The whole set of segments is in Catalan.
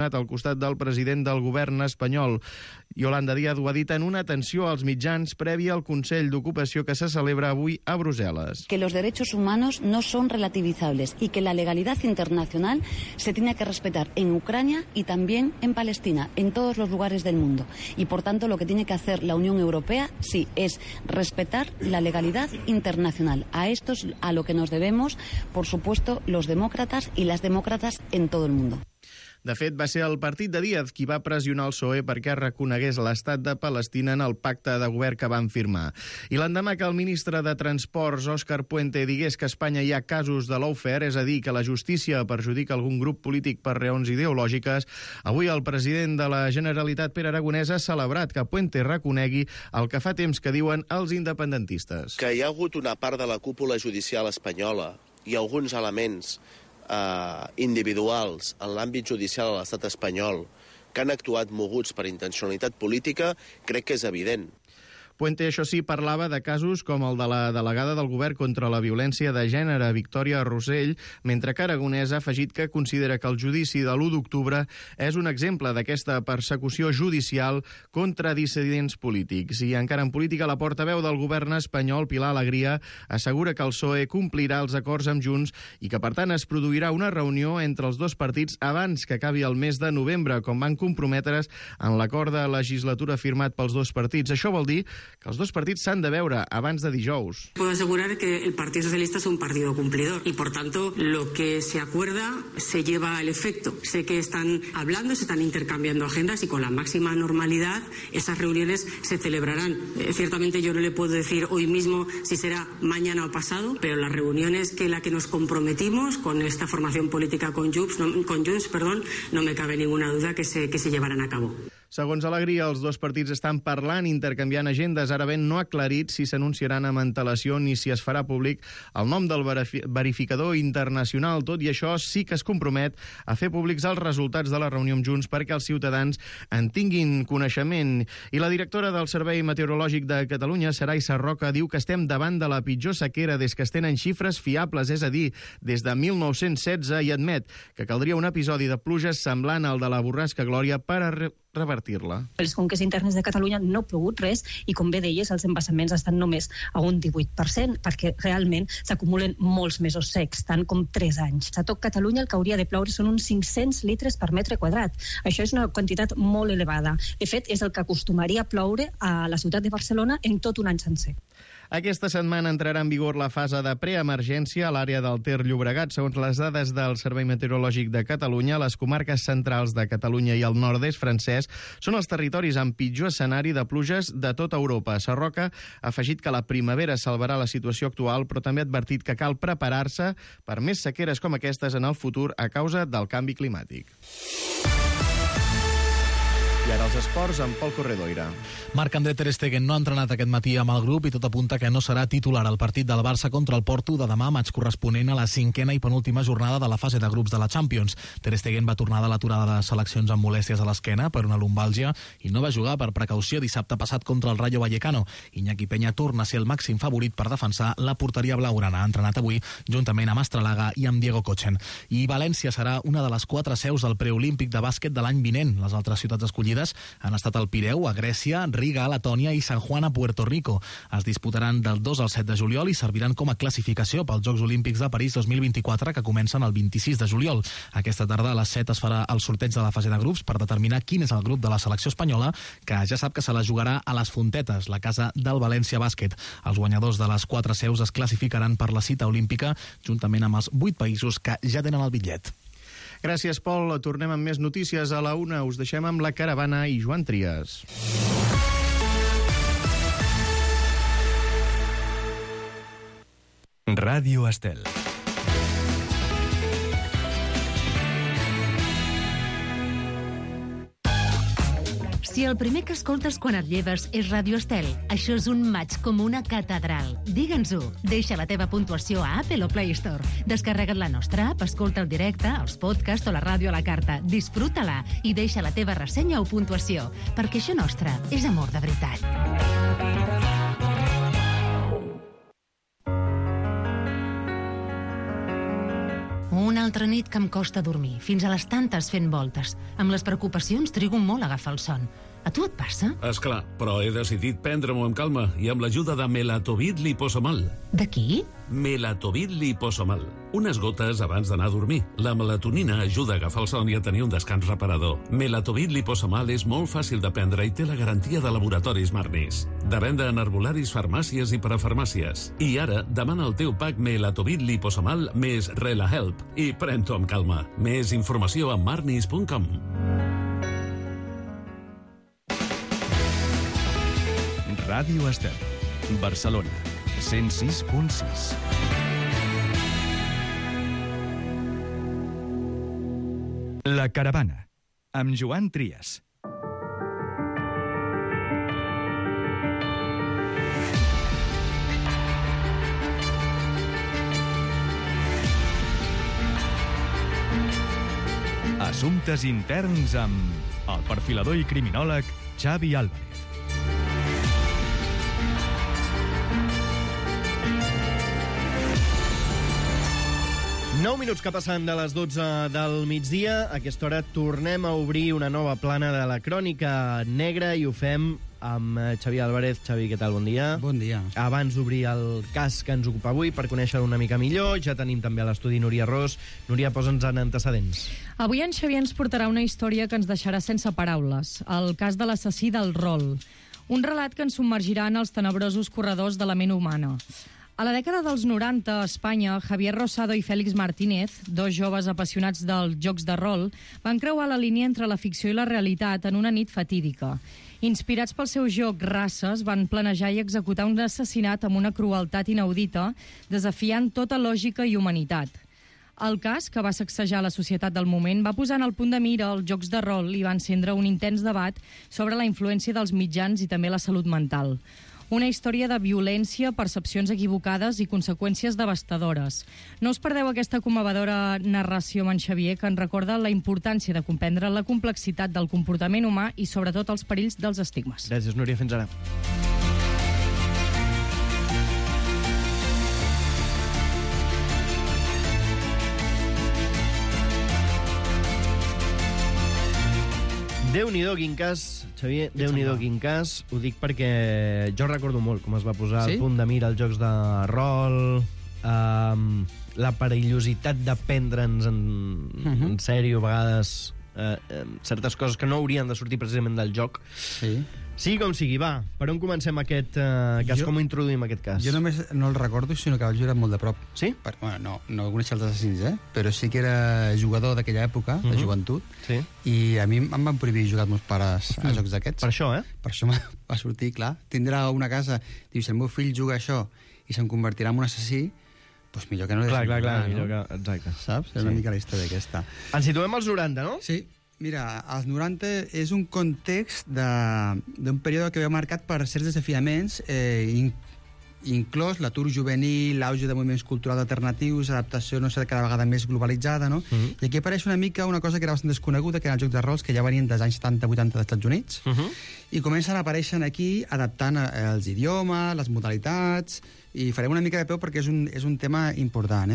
al costat del president del govern espanyol. Yolanda Díaz ho ha dit en una atenció als mitjans prèvia al Consell d'Ocupació que se celebra avui a Bruselas. Que los derechos humanos no son relativizables y que la legalidad internacional se tiene que respetar en Ucrania y también en Palestina, en todos los lugares del mundo. Y por tanto lo que tiene que hacer la Unión Europea, sí, es respetar la legalidad internacional. A esto es a lo que nos debemos, por supuesto, los demócratas y las demócratas en todo el mundo. De fet, va ser el partit de Díaz qui va pressionar el PSOE perquè reconegués l'estat de Palestina en el pacte de govern que van firmar. I l'endemà que el ministre de Transports, Òscar Puente, digués que a Espanya hi ha casos de lawfare, és a dir, que la justícia perjudica algun grup polític per raons ideològiques, avui el president de la Generalitat, Pere Aragonès, ha celebrat que Puente reconegui el que fa temps que diuen els independentistes. Que hi ha hagut una part de la cúpula judicial espanyola i alguns elements individuals en l'àmbit judicial a l'estat espanyol que han actuat moguts per intencionalitat política, crec que és evident. Puente, això sí, parlava de casos com el de la delegada del govern contra la violència de gènere, Victòria Rosell, mentre que Aragonès ha afegit que considera que el judici de l'1 d'octubre és un exemple d'aquesta persecució judicial contra dissidents polítics. I encara en política, la portaveu del govern espanyol, Pilar Alegria, assegura que el PSOE complirà els acords amb Junts i que, per tant, es produirà una reunió entre els dos partits abans que acabi el mes de novembre, com van comprometre's en l'acord de legislatura firmat pels dos partits. Això vol dir que els dos partits s'han de veure abans de dijous. Puedo asegurar que el Partido Socialista es un partido cumplidor y, por tanto, lo que se acuerda se lleva al efecto. Sé que están hablando, se están intercambiando agendas y con la máxima normalidad esas reuniones se celebrarán. Ciertamente yo no le puedo decir hoy mismo si será mañana o pasado, pero las reuniones la que nos comprometimos con esta formación política con Junts, no me cabe ninguna duda que se llevarán a cabo. Segons Alegria, els dos partits estan parlant, intercanviant agendes. Ara ben no ha aclarit si s'anunciaran amb antelació ni si es farà públic el nom del verificador internacional. Tot i això, sí que es compromet a fer públics els resultats de la reunió amb Junts perquè els ciutadans en tinguin coneixement. I la directora del Servei Meteorològic de Catalunya, Saray Sarroca, diu que estem davant de la pitjor sequera des que es tenen xifres fiables, és a dir, des de 1916, i admet que caldria un episodi de pluges semblant al de la borrasca Glòria per a revertir-la. Les conques internes de Catalunya no ha plogut res i, com bé deies, els embassaments estan només a un 18% perquè realment s'acumulen molts mesos secs, tant com 3 anys. A tot Catalunya el que hauria de ploure són uns 500 litres per metre quadrat. Això és una quantitat molt elevada. De fet, és el que acostumaria a ploure a la ciutat de Barcelona en tot un any sencer. Aquesta setmana entrarà en vigor la fase de preemergència a l'àrea del Ter Llobregat. Segons les dades del Servei Meteorològic de Catalunya, les comarques centrals de Catalunya i el nord-est francès són els territoris amb pitjor escenari de pluges de tota Europa. Sarroca ha afegit que la primavera salvarà la situació actual, però també ha advertit que cal preparar-se per més sequeres com aquestes en el futur a causa del canvi climàtic. I ara els esports amb Pol Corredoira. Marc-André ter Stegen no ha entrenat aquest matí amb el grup i tot apunta que no serà titular al partit del Barça contra el Porto de demà, maig corresponent a la 5a i penúltima jornada de la fase de grups de la Champions. Ter Stegen va tornar de l'aturada de seleccions amb molèsties a l'esquena per una lumbàlgia i no va jugar per precaució dissabte passat contra el Rayo Vallecano. Iñaki Peña torna a ser el màxim favorit per defensar la porteria blaugrana. Ha entrenat avui juntament amb Astralaga i amb Diego Kochen. I València serà una de les 4 seus del preolímpic de bàsquet de l'any vinent. Les altres ciutats escollides han estat el Pireu, a Grècia, Riga, a Letònia i San Juan, a Puerto Rico. Es disputaran del 2 al 7 de juliol i serviran com a classificació pels Jocs Olímpics de París 2024, que comencen el 26 de juliol. Aquesta tarda a les 7 es farà el sorteig de la fase de grups per determinar quin és el grup de la selecció espanyola, que ja sap que se la jugarà a les Fontetes, la casa del València Bàsquet. Els guanyadors de les 4 seus es classificaran per la cita olímpica, juntament amb els 8 països que ja tenen el bitllet. Gràcies, Pol. Tornem amb més notícies a la 1. Us deixem amb la Caravana i Joan Trias. Ràdio Estel. Si el primer que escoltes quan et lleves és Ràdio Estel, això és un maig com una catedral. Digue'ns-ho. Deixa la teva puntuació a Apple o Play Store. Descarrega't la nostra app, escolta el directe, els podcasts o la ràdio a la carta. Disfruta-la i deixa la teva ressenya o puntuació, perquè això nostre és amor de veritat. Una Una altra nit que em costa dormir, fins a les tantes fent voltes. Amb les preocupacions trigo molt a agafar el son. A tu et passa? Esclar, però he decidit prendre-m'ho amb calma i amb l'ajuda de Melatovit liposomal. De qui? Melatovit liposomal. Unes gotes abans d'anar a dormir. La melatonina ajuda a agafar el son i a tenir un descans reparador. Melatovit liposomal és molt fàcil de prendre i té la garantia de laboratoris Marnis. De venda en herbolaris, farmàcies i parafarmàcies. I ara, demana el teu pack Melatovit liposomal més RelaHelp i pren-t'ho amb calma. Més informació a marnis.com. Ràdio Estel, Barcelona, 106.6. La Caravana, amb Joan Trias. Assumptes interns amb el perfilador i criminòleg Xavi Álvarez. Nou minuts que passen de les 12 del migdia. A aquesta hora tornem a obrir una nova plana de la crònica negra i ho fem amb Xavi Álvarez. Xavi, què tal? Bon dia. Bon dia. Abans d'obrir el cas que ens ocupa avui, per conèixer-lo una mica millor, ja tenim també a l'estudi Núria Ros. Núria, posa'ns en antecedents. Avui en Xavi ens portarà una història que ens deixarà sense paraules. El cas de l'assassí del rol. Un relat que ens submergirà en els tenebrosos corredors de la ment humana. A la dècada dels 90, a Espanya, Javier Rosado i Félix Martínez, dos joves apassionats dels jocs de rol, van creuar la línia entre la ficció i la realitat en una nit fatídica. Inspirats pel seu joc Races, van planejar i executar un assassinat amb una crueltat inaudita, desafiant tota lògica i humanitat. El cas, que va sacsejar la societat del moment, va posar en el punt de mira els jocs de rol i va encendre un intens debat sobre la influència dels mitjans i també la salut mental. Una història de violència, percepcions equivocades i conseqüències devastadores. No us perdeu aquesta commovedora narració amb en Xavier, que ens recorda la importància de comprendre la complexitat del comportament humà i sobretot els perills dels estigmes. Gràcies, Núria. Fins ara. Déu-n'hi-do, quin cas, Xavier, Déu-n'hi-do, quin cas. Ho dic perquè jo recordo molt com es va posar al punt de mira els jocs de rol, la perillositat de prendre'ns en sèrio a vegades certes coses que no haurien de sortir precisament del joc. Sí, com sigui, va. Per on comencem aquest cas? Com introduïm aquest cas? Jo només no el recordo, sinó que el jurat molt de prop. Sí? Bueno, no coneixia els assassins, però sí que era jugador d'aquella època, de joventut, i a mi em van prohibir jugar els meus pares a jocs d'aquests. Per això, Per això va sortir, clar. Tindrà una casa, diu, si el meu fill juga això i se'n convertirà en un assassí, doncs millor que no li deixin jugar, Clar, millor que... Exacte. Saps? És una mica la història aquesta. Ens situem als 90, no? Sí. Mira, als 90 és un context d'un període que ve marcat per certs desafiaments, inclòs l'atur juvenil, l'auge de moviments culturals alternatius, adaptació, no sé, cada vegada més globalitzada, no? I aquí apareix una mica una cosa que era bastant desconeguda, que eren els jocs de rols, que ja venien dels anys 70-80 dels Estats Units, i comencen a aparèixer aquí adaptant els idiomes, les modalitats, i farem una mica de peu perquè és un tema important.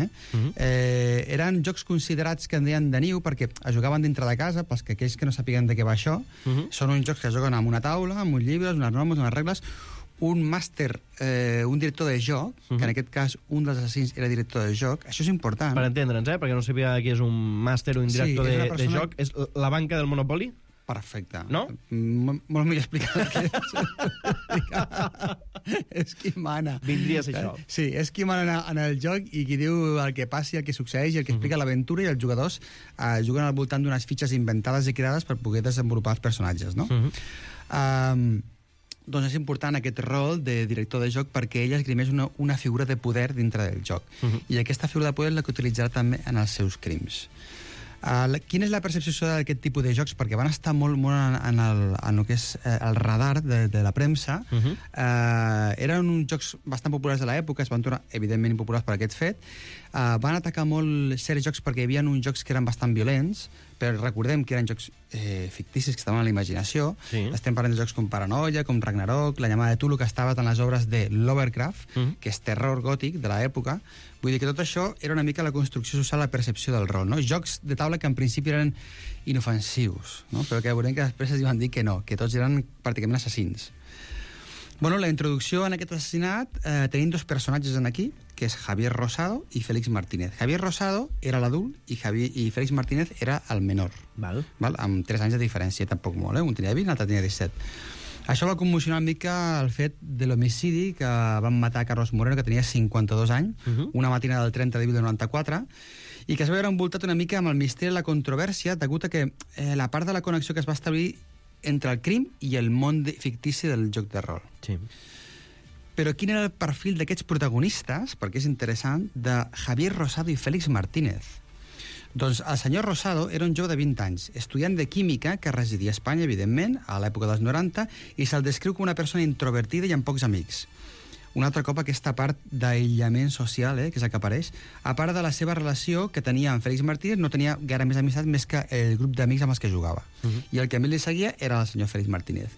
Eren jocs considerats que en deien de niu perquè es jugaven dintre de casa, pels que aquells que no sàpiguen de què va això, són uns jocs que es juguen amb una taula, amb uns llibres, unes normes, unes regles, un màster, un director de joc, que en aquest cas un dels assassins era director de joc. Això és important. Per entendre'ns, perquè no sabia qui és un màster o un director de joc. És la banca del Monopoly? Perfecte. No? Molt millor explicat que és qui mana. Vindria a ser això. Sí, és qui mana en el joc i qui diu el que passi, el que succeeix, el que explica l'aventura, i els jugadors juguen al voltant d'unes fitxes inventades i creades per poder desenvolupar els personatges, no? Doncs és important aquest rol de director de joc perquè ell esgrimeix una figura de poder dintre del joc. I aquesta figura de poder és la que utilitzarà també en els seus crims. Quina és la percepció d'aquest tipus de jocs? Perquè van estar molt en el que és el radar de la premsa. Eren uns jocs bastant populars de l'època, es van tornar evidentment impopulars per aquest fet. Van atacar molt certs jocs perquè hi havia uns jocs que eren bastant violents, però recordem que eren jocs ficticis que estaven a la imaginació. Estem parlant de jocs com Paranoia, com Ragnarok, La llamada de Tulu, que estava en les obres de Lovecraft, que és terror gòtic de l'època. Vull dir que tot això era una mica la construcció social, la percepció del rol, no? Jocs de taula que en principi eren inofensius, no? Però que veurem que després es van dir que no, que tots eren pràcticament assassins. Bueno, la introducció en aquest assassinat tenim dos personatges en aquí, que és Javier Rosado i Félix Martínez. Javier Rosado era l'adult i Félix Martínez era el menor. Val? Amb 3 anys de diferència, tampoc molt, un tenia 20, l'altre tenia 17. Això va commocionar una mica el fet de l'homicidi que van matar a Carlos Moreno, que tenia 52 anys, una matina del 30 d'abril del 94, i que es va veure envoltat una mica amb el misteri i la controvèrsia, degut a que la part de la connexió que es va establir entre el crim i el món fictici del joc de rol. Sí. Però quin era el perfil d'aquests protagonistes, perquè és interessant, de Javier Rosado i Félix Martínez? Doncs el senyor Rosado era un jove de 20 anys, estudiant de química que residia a Espanya, evidentment, a l'època dels 90, i se'l descriu com una persona introvertida i amb pocs amics. Un altre cop aquesta part d'aïllament social, que és el que apareix, a part de la seva relació que tenia amb Félix Martínez, no tenia gaire més amistat més que el grup d'amics amb els que jugava. I el que a mi li seguia era el senyor Félix Martínez.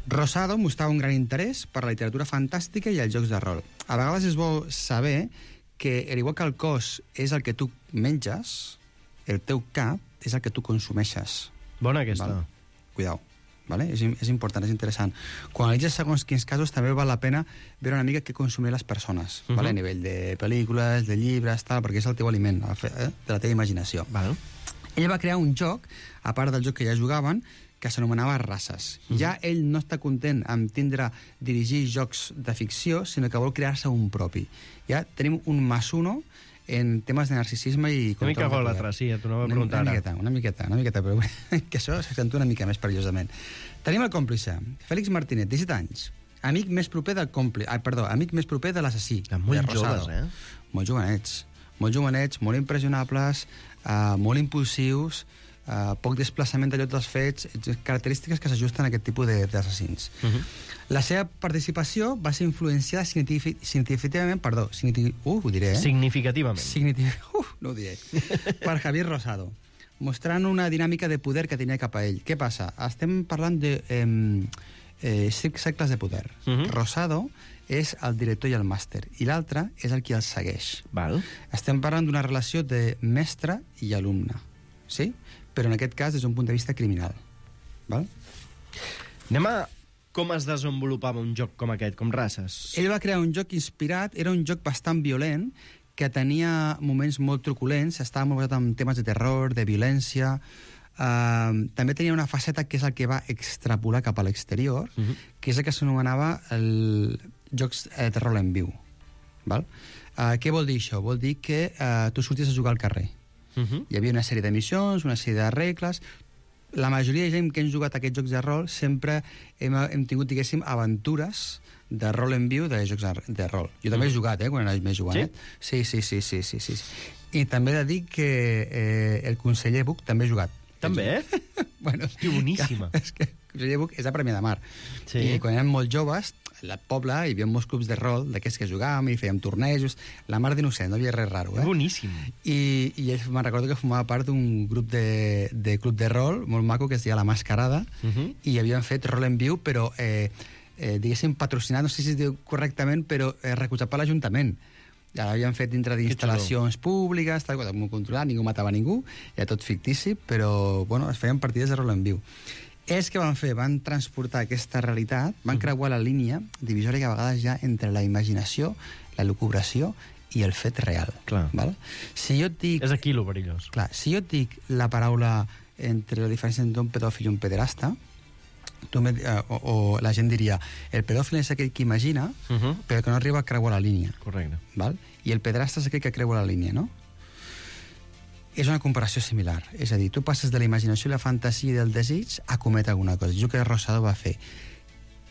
Rosado mostrava un gran interès per la literatura fantàstica i els jocs de rol. A vegades es vol saber que, al igual que el cos és el que tu menges, el teu cap és el que tu consumeixes. Bona aquesta. Vale? Cuidao. Vale? És important, és interessant. Quan analitzes segons quins casos també val la pena veure una mica què consumir les persones, vale? A nivell de pel·lícules, de llibres, tal, perquè és el teu aliment, de la teva imaginació. Vale. Ell va crear un joc, a part del joc que ja jugaven, que s'anomenava Races. Ja ell no està content amb dirigir jocs de ficció, sinó que vol crear-se un propi. Ja tenim un +1 en temes de narcisisme i... Una mica gòlatra, sí, t'ho anava a preguntar ara. Una miqueta, però que això s'accentua una mica més perillosament. Tenim el còmplice, Félix Martínez, 17 anys, amic més proper del còmplice, amic més proper de l'assassí, molt de Rosado. joves, Molt jovenets, molt impressionables, molt impulsius, poc desplaçament de lloc dels fets, característiques que s'ajusten a aquest tipus d'assassins. La seva participació va ser influenciada significativament, no ho diré, per Javier Rosado, mostrant una dinàmica de poder que tenia cap a ell. Què passa? Estem parlant de 5 segles de poder. Rosado és el director i el màster, i l'altre és el qui el segueix. Estem parlant d'una relació de mestre i alumne, sí? Però en aquest cas des d'un punt de vista criminal. Val? Anem a com es desenvolupava un joc com aquest, com Races. Ell va crear un joc inspirat, era un joc bastant violent, que tenia moments molt truculents, estava molt basat en temes de terror, de violència, també tenia una faceta que és el que va extrapolar cap a l'exterior, que és el que s'anomenava jocs de rol en viu. Val? Què vol dir això? Vol dir que tu sorties a jugar al carrer. Hi havia una sèrie de missions, una sèrie de regles. La majoria de gent que hem jugat a aquests jocs de rol sempre hem tingut, diguéssim, aventures de rol en viu de jocs de rol. Jo també he jugat, quan era més jugant. Sí? Sí. I també he de dir que el conseller Buch també ha jugat. També? Bueno, que boníssima. És que el conseller Buch és a Premià de Mar. I quan érem molt joves, al poble hi havia molts clubs de rol d'aquests que jugàvem i fèiem tornejos, la mar d'innocent, no hi havia res raro. Boníssim. I ell me'n recordo que formava part d'un grup de club de rol molt maco que es deia La Mascarada, i havien fet rol en viu, però diguéssim patrocinat, no sé si es diu correctament, però recolzat per l'Ajuntament. Ja l'havien fet dintre d'instal·lacions públiques, tal, molt controlat, ningú matava ningú, era tot fictici, però bueno, es feien partides de rol en viu. Ells que van fer? Van transportar aquesta realitat, van creuar la línia divisòria que a vegades hi ha entre la imaginació, la lucubració i el fet real. Clar. Val? Si jo et dic... És aquí lo perillós. Clar, si jo et dic la paraula entre la diferència entre un pedòfil i un pederasta, o la gent diria el pedòfil és aquell que imagina, però que no arriba a creuar la línia. Correcte. Val? I el pederasta és aquell que creua la línia, no? És una comparació similar. És a dir, tu passes de la imaginació i la fantasia i del desig a cometre alguna cosa. Jo que Rosado va fer.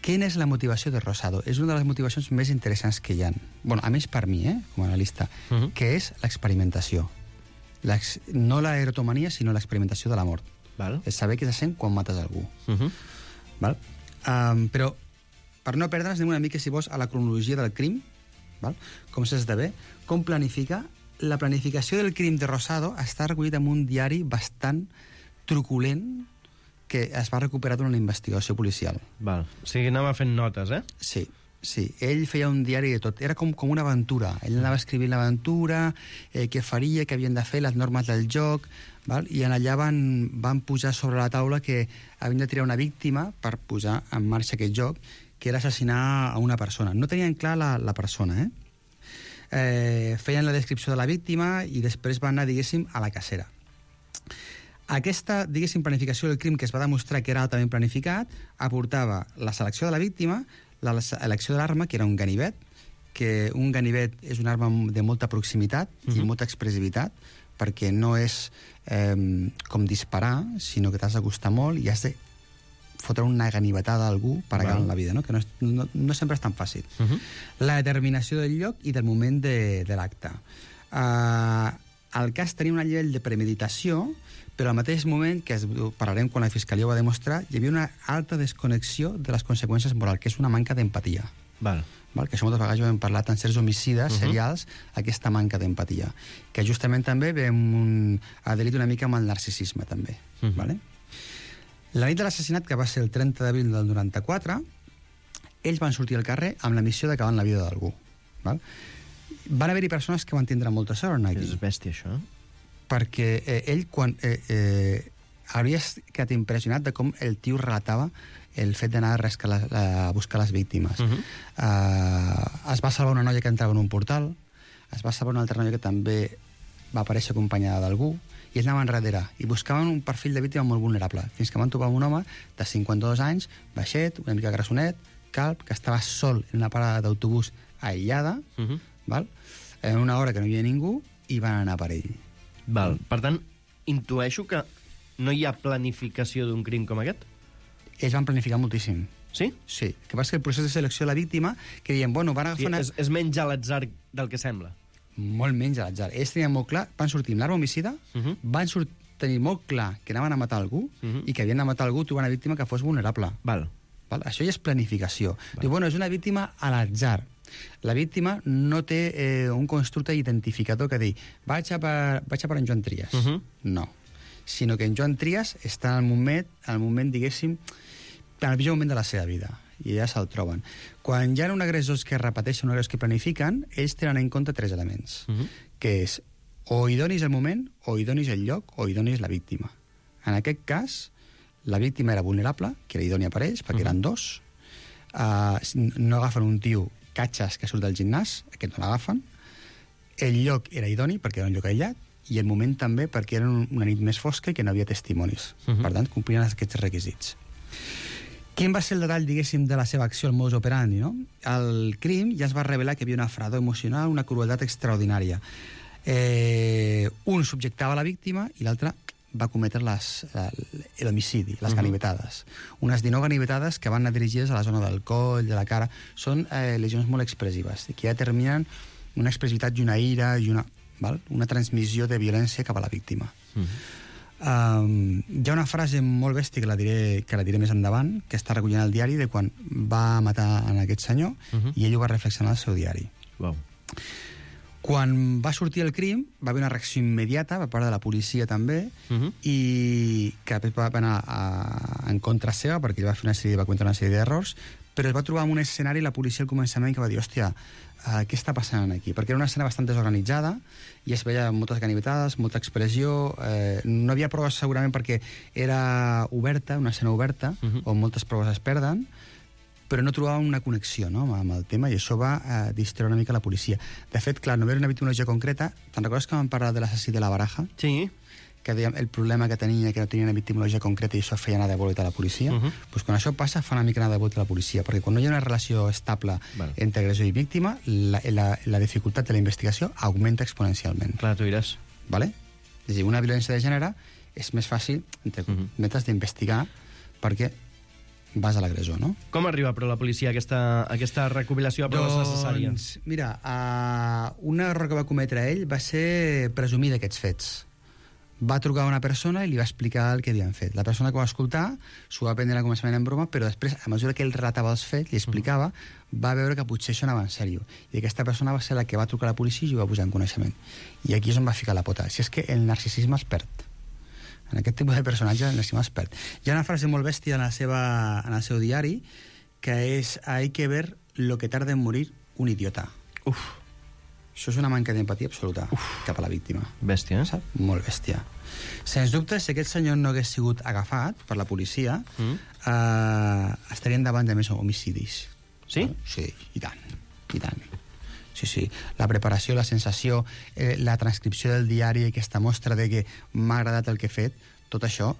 Quina és la motivació de Rosado? És una de les motivacions més interessants que hi ha. Bueno, a més per mi, com a analista, que és l'experimentació. No l'erotomania, sinó l'experimentació de la mort. És saber què se sent quan mates algú. Val? Però, per no perdre'ns, anem una mica, si vols, a la cronologia del crim, val? Com s'esdevé, com planifica. La planificació del crim de Rosado està recollit en un diari bastant truculent que es va recuperar durant la investigació policial. Val. O sigui, anava fent notes, Sí. Ell feia un diari de tot. Era com una aventura. Ell anava escrivint l'aventura, què faria, què havien de fer, les normes del joc, val? I allà van posar sobre la taula que havien de triar una víctima per posar en marxa aquest joc, que era assassinar a una persona. No tenien clar la persona, feien la descripció de la víctima i després van anar, diguéssim, a la cacera. Aquesta, diguéssim, planificació del crim, que es va demostrar que era altament planificat, aportava la selecció de la víctima, l'elecció de l'arma, que era un ganivet, que un ganivet és una arma de molta proximitat i molta expressivitat, perquè no és com disparar, sinó que t'has d'acostar molt i has de fotre una ganivetada a algú per acabar en la vida, no? Que no sempre és tan fàcil. La determinació del lloc i del moment de l'acte. El cas tenia un nivell de premeditació, però al mateix moment, que parlarem quan la Fiscalia ho va demostrar, hi havia una alta desconnexió de les conseqüències morals, que és una manca d'empatia. Val. Que això moltes vegades ho hem parlat en certs homicides serials, aquesta manca d'empatia, que justament també vam adherit una mica amb el narcisisme, també. Vale? La nit de l'assassinat, que va ser el 30 d'abril del 94, ells van sortir al carrer amb la missió d'acabar en la vida d'algú. Van haver-hi persones que van tindre molta sort aquí. És bèstia, això. Perquè ell, quan hauries quedat impressionat de com el tio relatava el fet d'anar a buscar les víctimes. Es va salvar una noia que entrava en un portal, es va salvar una altra noia que també va aparèixer acompanyada d'algú, i ells anaven darrere, i buscaven un perfil de víctima molt vulnerable, fins que van trobar un home de 52 anys, baixet, una mica grassonet, calb, que estava sol en una parada d'autobús aïllada, en una hora que no hi havia ningú, i van anar per ell. Val. Per tant, intueixo que no hi ha planificació d'un crim com aquest? Ells van planificar moltíssim. Sí? Sí. El que passa que el procés de selecció de la víctima, que diuen, bueno, van agafar... És menys a l'atzar del que sembla. Molt menys a l'atzar. Ells tenien molt clar, van sortir amb l'arma homicida, van tenir molt clar que anaven a matar algú i que havien de matar algú trobant una víctima que fos vulnerable. Val. Això ja és planificació. Diu, bueno, és una víctima a l'atzar. La víctima no té un constructe identificador que dir vaig a per en Joan Trias. No. Sinó que en Joan Trias està en el moment, diguéssim, en el millor moment de la seva vida. I ja se'l troben. Quan hi ha un agressors que repeteixen, un agressors que planifiquen, ells tenen en compte 3 elements, que és o idonis el moment, o idonis el lloc, o idonis la víctima. En aquest cas, la víctima era vulnerable, que era idònia per ells, perquè eren 2. No agafen un tio catxes que surt del gimnàs, aquest no l'agafen. El lloc era idoni, perquè era un lloc aïllat, i el moment també perquè era una nit més fosca i que no havia testimonis. Per tant, complien aquests requisits. Quin va ser el detall, diguéssim, de la seva acció, el modus operandi, no? El crim ja es va revelar que hi havia una fredor emocional, una crueltat extraordinària. Un subjectava la víctima i l'altre va cometre l'homicidi, les ganivetades. Unes 19 ganivetades que van anar dirigides a la zona del coll, de la cara. Són lesions molt expressives, que ja determinen una expressivitat i una ira i una transmissió de violència cap a la víctima. Hi ha una frase molt bèstia que la diré més endavant, que està recollint al diari de quan va matar en aquest senyor, i ell ho va reflexionar al seu diari. Quan va sortir el crim, va haver una reacció immediata per part de la policia també, i que després va anar en contra seva, perquè ell va cometre una sèrie d'errors, però es va trobar en un escenari la policia al començament que va dir, hòstia, què està passant aquí? Perquè era una escena bastant desorganitzada i es veia moltes ganivetades, molta expressió, no havia proves segurament perquè era oberta, una escena oberta, on moltes proves es perden, però no trobàvem una connexió, no?, amb el tema, i això va distreure una mica la policia. De fet, clar, no hi havia una victimologia concreta. Te'n recordes que vam parlar de l'assassí de la Baraja? Sí. Que dèiem el problema que tenia, que no tenia una victimologia concreta i això feia anar de bolet a la policia? Doncs quan això passa, fa una mica anar de bolet a la policia, perquè quan no hi ha una relació estable entre agressor i víctima, la dificultat de la investigació augmenta exponencialment. Clar, tu diràs. Vale? És a dir, una violència de gènere és més fàcil, entre cometes, d'investigar perquè vas a l'agressor, no? Com arriba, però, la policia a aquesta recopilació de proves necessàries? Doncs, mira, un error que va cometre ell va ser presumir d'aquests fets. Va trucar a una persona i li va explicar el que havien fet. La persona que ho va escoltar s'ho va prendre al començament en broma, però després, a mesura que ell relatava els fets, li explicava, va veure que potser això anava en sèrio. I aquesta persona va ser la que va trucar a la policia i ho va posar en coneixement. I aquí és on va ficar la pota. Si és que el narcisisme es perd. En aquest tipus de personatge n'estim expert. Hi ha una frase molt bèstia en el seu diari, que és «Hay que ver lo que tarda en morir un idiota». Uf. Això és una manca d'empatia absoluta cap a la víctima. Bèstia, eh? Saps? Molt bèstia. Sens dubte, si aquest senyor no hagués sigut agafat per la policia, estarien davant de més homicidis. Sí? Sí, i tant. I tant. Sí, sí. La preparació, la sensació, la transcripció del diari, aquesta mostra de que m'ha agradat el que he fet, tot això,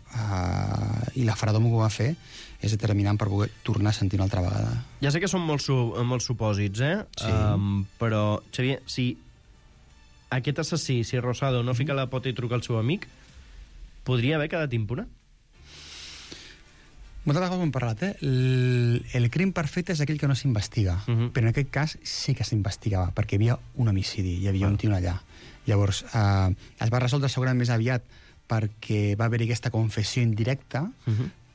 i la fredor que va fer, és determinant per poder tornar a sentir una altra vegada. Ja sé que són molts supòsits, Sí. Però, Xavier, si aquest assassí, si Rosado no fica la pota i truca al seu amic, podria haver quedat impune? Moltes vegades ho hem parlat, el crim perfecte és aquell que no s'investiga, però en aquest cas sí que s'investigava, perquè hi havia un homicidi, hi havia un tio allà. Llavors, es va resoldre segurament més aviat perquè va haver-hi aquesta confessió indirecta,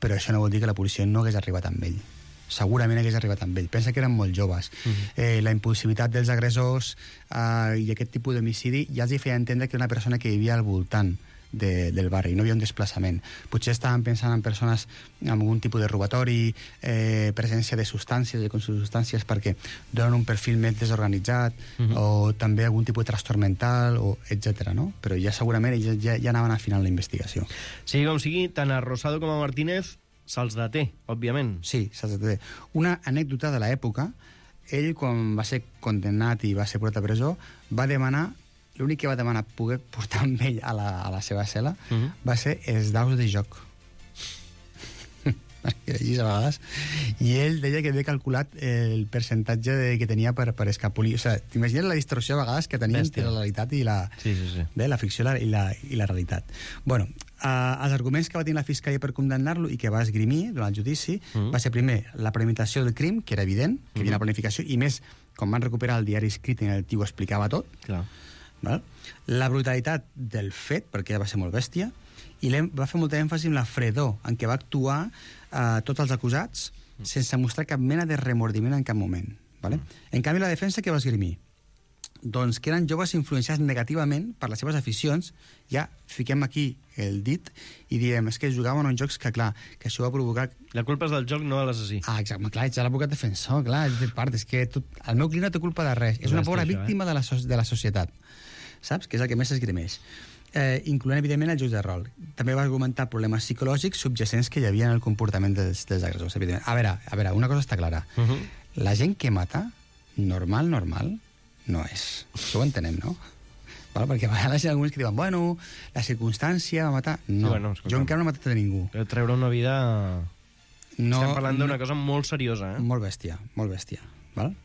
però això no vol dir que la policia no hagués arribat amb ell. Segurament hagués arribat amb ell. Pensa que eren molt joves. La impulsivitat dels agressors i aquest tipus d'homicidi ja els hi feia entendre que era una persona que vivia al voltant del barri, no hi havia un desplaçament. Potser estaven pensant en persones amb algun tipus de robatori, presència de substàncies, de consubstàncies, perquè donen un perfil més desorganitzat, o també algun tipus de trastorn mental, etc. No? Però ja segurament ja anaven afinant la investigació. Sigui com sigui, tant a Rosado com a Martínez se'ls deté, òbviament. Sí, se'ls deté. Una anècdota de l'època, ell, quan va ser condemnat i va ser portat a presó, va demanar, l'únic que va demanar poder portar amb ell a la seva cel·la va ser els daus de joc. Que llegis a vegades. I ell deia que havia calculat el percentatge que tenia per escapolir. O sigui, t'imagines la distorsió a vegades que tenien entre la realitat i la ficció i la realitat. Bueno, els arguments que va tenir la Fiscalia per condemnar-lo i que va esgrimir durant el judici va ser, primer, la premeditació del crim, que era evident, que hi havia una planificació, i més, quan van recuperar el diari escrit en el tio ho explicava tot. Clar. Val? La brutalitat del fet, perquè va ser molt bèstia, i va fer molta èmfasi en la fredor en què va actuar tots els acusats sense mostrar cap mena de remordiment en cap moment. Vale? En canvi, la defensa que va esgrimir? Doncs que eren joves influenciats negativament per les seves aficions. Ja fiquem aquí el dit i diem, és que jugaven uns jocs que, clar, que això va provocar... La culpa és del joc, no de l'assassí. Exacte, clar, ets l'advocat defensor, clar, és de part, és que el meu client no té culpa de res, és una pobra víctima de la societat, saps? Que és el que més s'esgrimeix. Incloent, evidentment, els jocs de rol. També va argumentar problemes psicològics subjacents que hi havia en el comportament dels agressors, evidentment. A veure, una cosa està clara. La gent que mata, normal, no és. Això ho entenem, no? Vale, perquè a vegades hi ha alguns que diuen, bueno, la circumstància va matar... No, sí, bueno, jo encara no he matat a ningú. Treure una vida... No, estem parlant d'una cosa molt seriosa, eh? Molt bèstia, molt bèstia. Val?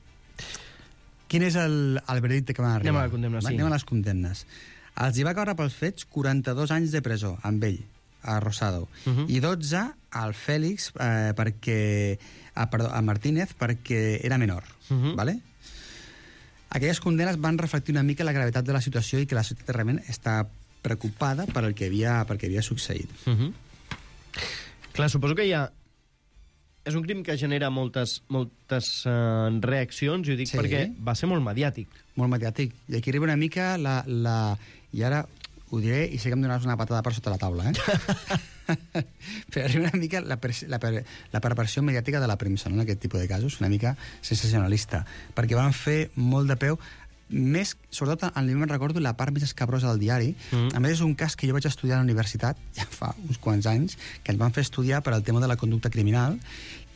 Quin és el veredicte que van arribar? Anem a la condemna, sí. Anem a les condemnes. Els hi va caure pels fets 42 anys de presó, amb ell, a Rosado, i 12 al Fèlix, a Martínez, perquè era menor, vale? Aquelles condenes van reflectir una mica la gravetat de la situació i que la societat realment està preocupada per el que havia succeït. Clar, suposo que hi ha... És un crim que genera moltes reaccions, i ho dic perquè va ser molt mediàtic. Molt mediàtic. I aquí arriba una mica I ara ho diré i sé que em donaràs una patada per sota la taula, però arriba una mica la preparació mediàtica de la premsa, no? En aquest tipus de casos, una mica sensacionalista, perquè van fer molt de peu, més, sobretot, me'n recordo la part més escabrosa del diari. A més, és un cas que jo vaig estudiar a la universitat, ja fa uns quants anys, que ens van fer estudiar per al tema de la conducta criminal,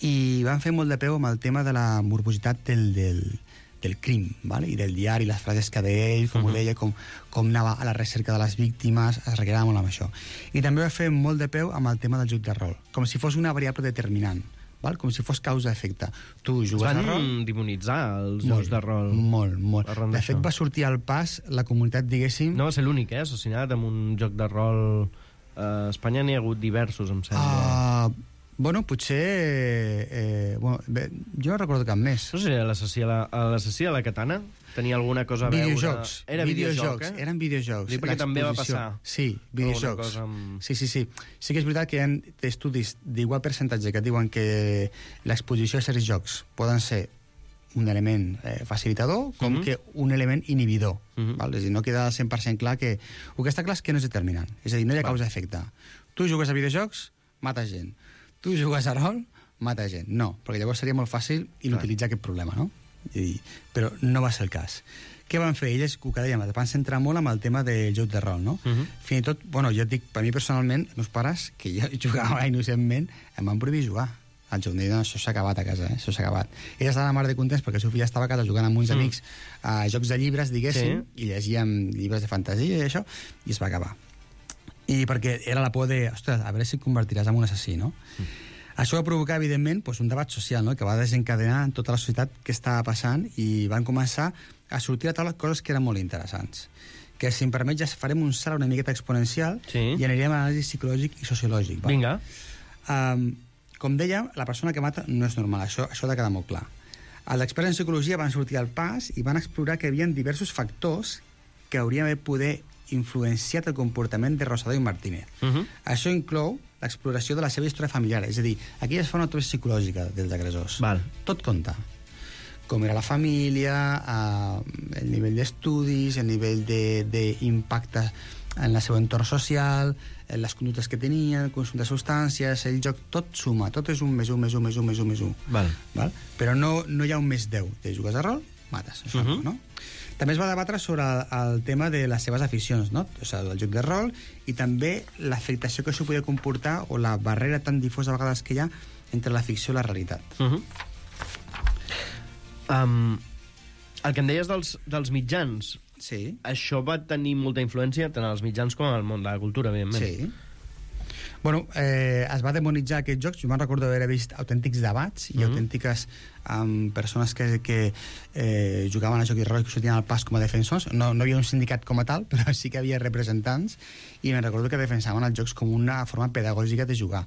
i van fer molt de peu amb el tema de la morbositat del crim, ¿vale? I del diari, les frases que deia ell, com ho deia, com anava a la recerca de les víctimes, es requerava molt amb això. I també va fer molt de peu amb el tema del joc de rol, com si fos una variable determinant, val? Com si fos causa-efecte. Tu jugues a rol... Es van demonitzar els jocs de rol. Molt. De fet, va sortir al pas la comunitat, diguéssim... No va ser l'únic, assassinat amb un joc de rol. A Espanya n'hi ha hagut diversos, em sembla. Bueno, potser... jo no recordo cap més. No sé, l'assassí de la katana tenia alguna cosa a veure... Videojocs. Era videojoc, Eren videojocs. Dic perquè també va passar. Sí, videojocs. Sí. Sí que és veritat que hi ha estudis d'igual percentatge que diuen que l'exposició a certs jocs poden ser un element facilitador com que un element inhibidor. Val? És a dir, no queda 100% clar que... El que està clar és que no és determinant. És a dir, no hi ha causa-efecte. Tu jugues a videojocs, mates gent. Tu jugues a rol, mates gent. No, perquè llavors seria molt fàcil inutilitzar aquest problema, no? Però no va ser el cas. Què van fer? Ells, que dèiem, van centrar molt amb el tema del joc de rol, no? Fins i tot, bueno, jo et dic, per mi personalment, els meus pares, que jo jugava innocentment, em van prohibir jugar al joc. Em deien, no, això s'ha acabat a casa, això s'ha acabat. Ella estava mar de contents perquè el seu fill estava a casa jugant amb uns amics a jocs de llibres, diguéssim, i llegíem llibres de fantasia i això, i es va acabar. I perquè era la por de, ostres, a veure si et convertiràs en un assassí, no? Això va provocar, evidentment, un debat social, no?, que va desencadenar en tota la societat què estava passant i van començar a sortir a taula coses que eren molt interessants. Que, si em permet, ja farem un salt una miqueta exponencial i anirem a l'anàlisi psicològic i sociològic. Vinga. Com dèiem, la persona que mata no és normal, això ha de quedar molt clar. Els experts en psicologia van sortir al pas i van explorar que hi havia diversos factors que haurien d'haver poder influenciat el comportament de Rosado i Martínez. Això inclou l'exploració de la seva història familiar, és a dir, aquí es fa una autopsia psicològica dels agressors. Tot compta. Com era la família, el nivell d'estudis, el nivell d'impacte en el seu entorn social, les conductes que tenia, el consum de substàncies, el joc, tot suma, tot és un més un, més un, més un, més un, més un. Però no hi ha un més 10. Te jugues a rol, mates. Això, no? També es va debatre sobre el tema de les seves aficions, no? O sigui, el joc de rol i també l'afectació que això podia comportar o la barrera tan difosa a vegades que hi ha entre la ficció i la realitat. El que em deies dels mitjans, això va tenir molta influència tant als mitjans com al món de la cultura, evidentment. Sí. Bueno, es va demonitzar aquests jocs. Jo me'n recordo d'haver vist autèntics debats i autèntiques persones que jugaven a joc de rol i que sortien al pas com a defensors. No hi havia un sindicat com a tal, però sí que havia representants i me'n recordo que defensaven els jocs com una forma pedagògica de jugar,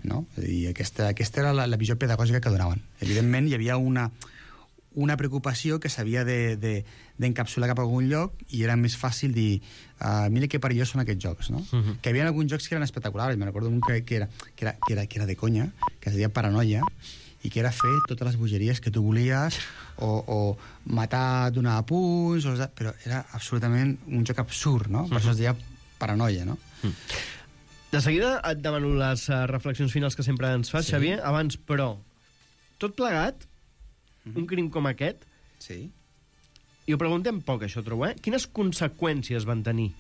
no? I aquesta era la visió pedagògica que donaven. Evidentment, hi havia una preocupació que s'havia d'encapsular cap a algun lloc i era més fàcil dir mira que perillós són aquests jocs, no? Que hi havia alguns jocs que eren espectaculars. Me'n recordo un que era de conya, que es deia Paranoia, i que era fer totes les bogeries que tu volies o matar, donar punts, però era absolutament un joc absurd, no? Per això es deia Paranoia, no? De seguida et demano les reflexions finals que sempre ens fas, Xavier. Abans, però, tot plegat, un crim com aquest, i ho preguntem poc, això, trobo, quines conseqüències van tenir?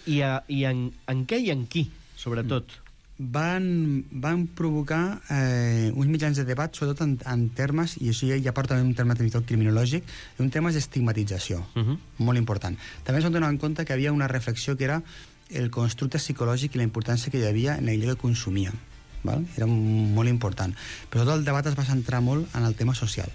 I en què i en qui, sobretot? Van provocar uns mitjans de debat, sobretot en termes, i això ja porta un terme criminològic, en termes d'estigmatització, molt important. També es van donar en compte que hi havia una reflexió que era el constructe psicològic i la importància que hi havia en allò que consumíem. Era molt important. Però tot el debat es va centrar molt en el tema social.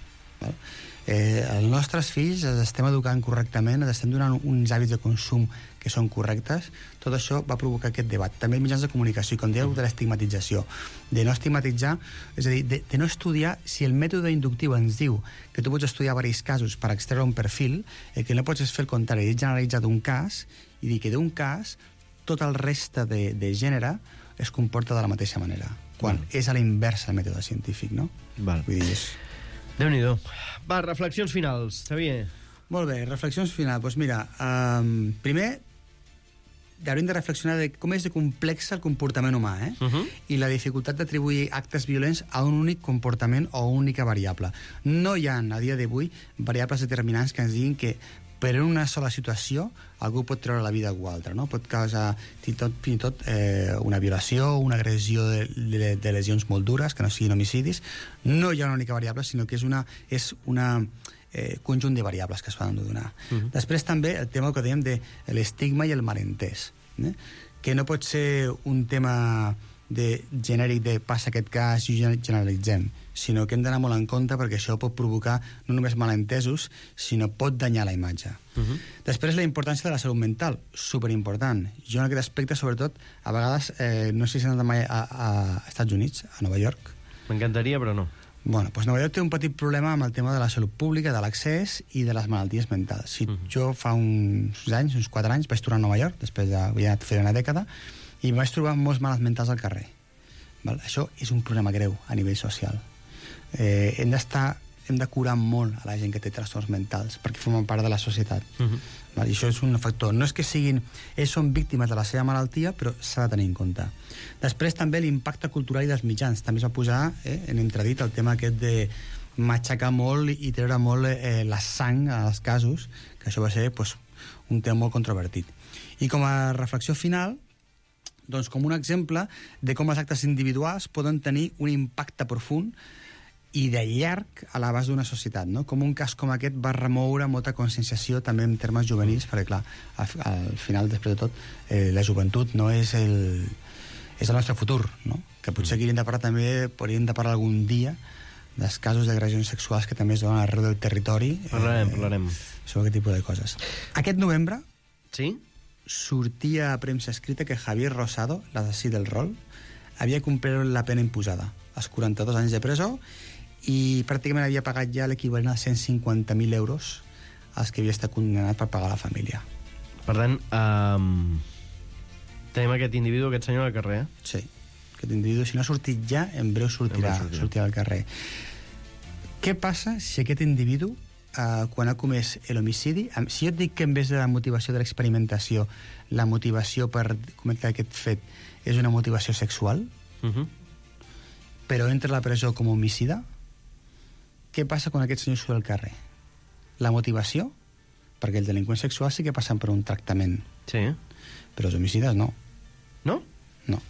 Els nostres fills els estem educant correctament, els estem donant uns hàbits de consum que són correctes. Tot això va provocar aquest debat. També els mitjans de comunicació, i com dèieu, de l'estigmatització, de no estigmatitzar, és a dir, de no estudiar. Si el mètode inductiu ens diu que tu pots estudiar diversos casos per extreure un perfil, el que no pots és fer el contrari, és generalitzar d'un cas i dir que d'un cas tot el reste de gènere es comporta de la mateixa manera, quan és a la inversa el mètode científic, no? Vull dir, Déu-n'hi-do. Va, reflexions finals, Xavier. Molt bé, reflexions finals. Doncs mira, primer hauríem de reflexionar de com és de complex el comportament humà, i la dificultat d'atribuir actes violents a un únic comportament o una única variable. No hi ha, a dia d'avui, variables determinants que ens diguin que per una sola situació algú pot treure la vida a algú altre, no? Pot causar fins i tot una violació, una agressió de lesions molt dures, que no siguin homicidis. No hi ha una única variable, sinó que és una conjunt de variables que es poden donar. Després també el tema que dèiem de l'estigma i el malentès, que no pot ser un tema genèric de passa aquest cas i generalitzem, sinó que hem d'anar molt en compte perquè això pot provocar no només malentesos, sinó pot danyar la imatge. Després la importància de la salut mental, superimportant. Jo en aquest aspecte, sobretot, a vegades, no sé si he anat mai a Estats Units, a Nova York. M'encantaria, però no. Bueno, doncs Nova York té un petit problema amb el tema de la salut pública, de l'accés i de les malalties mentals. Jo fa uns 4 anys, vaig tornar a Nova York, després ja havia anat fer una dècada, i vaig trobar molts malalts mentals al carrer. Això és un problema greu a nivell social. Hem d'estar hem de curar molt a la gent que té trastorns mentals, perquè formen part de la societat. I això és un factor. No és que ells són víctimes de la seva malaltia, però s'ha de tenir en compte. Després també l'impacte cultural i dels mitjans. També es va posar en entredit el tema aquest de matxacar molt i treure molt la sang als casos, que això va ser un tema molt controvertit. I com a reflexió final, doncs com un exemple de com els actes individuals poden tenir un impacte profund i de llarg a l'abast d'una societat, no? Com un cas com aquest va remoure molta conscienciació també en termes juvenils, perquè clar, al final, després de tot, la joventut no és el nostre futur, no? Que potser aquí podríem de parlar algun dia dels casos d'agressions sexuals que també es donen arreu del territori. Parlarem. Sobre aquest tipus de coses. Aquest novembre sortia a premsa escrita que Javier Rosado, l'assassí del rol, havia complert la pena imposada, els 42 anys de presó, i pràcticament havia pagat ja l'equivalent a 150.000 euros als que havia estat condemnat per pagar a la família. Per tant, tenim aquest individu, aquest senyor al carrer. Sí, aquest individu, si no ha sortit ja, en breu sortirà al carrer. Què passa si aquest individu, quan ha comès l'homicidi, si jo et dic que en vez de la motivació de l'experimentació, la motivació per cometre aquest fet és una motivació sexual, però entra a la presó com a homicida, què passa quan aquest senyor surt al carrer? La motivació, perquè els delinqüents sexuals sí que passen per un tractament. Sí. Però els homicides no. No? No.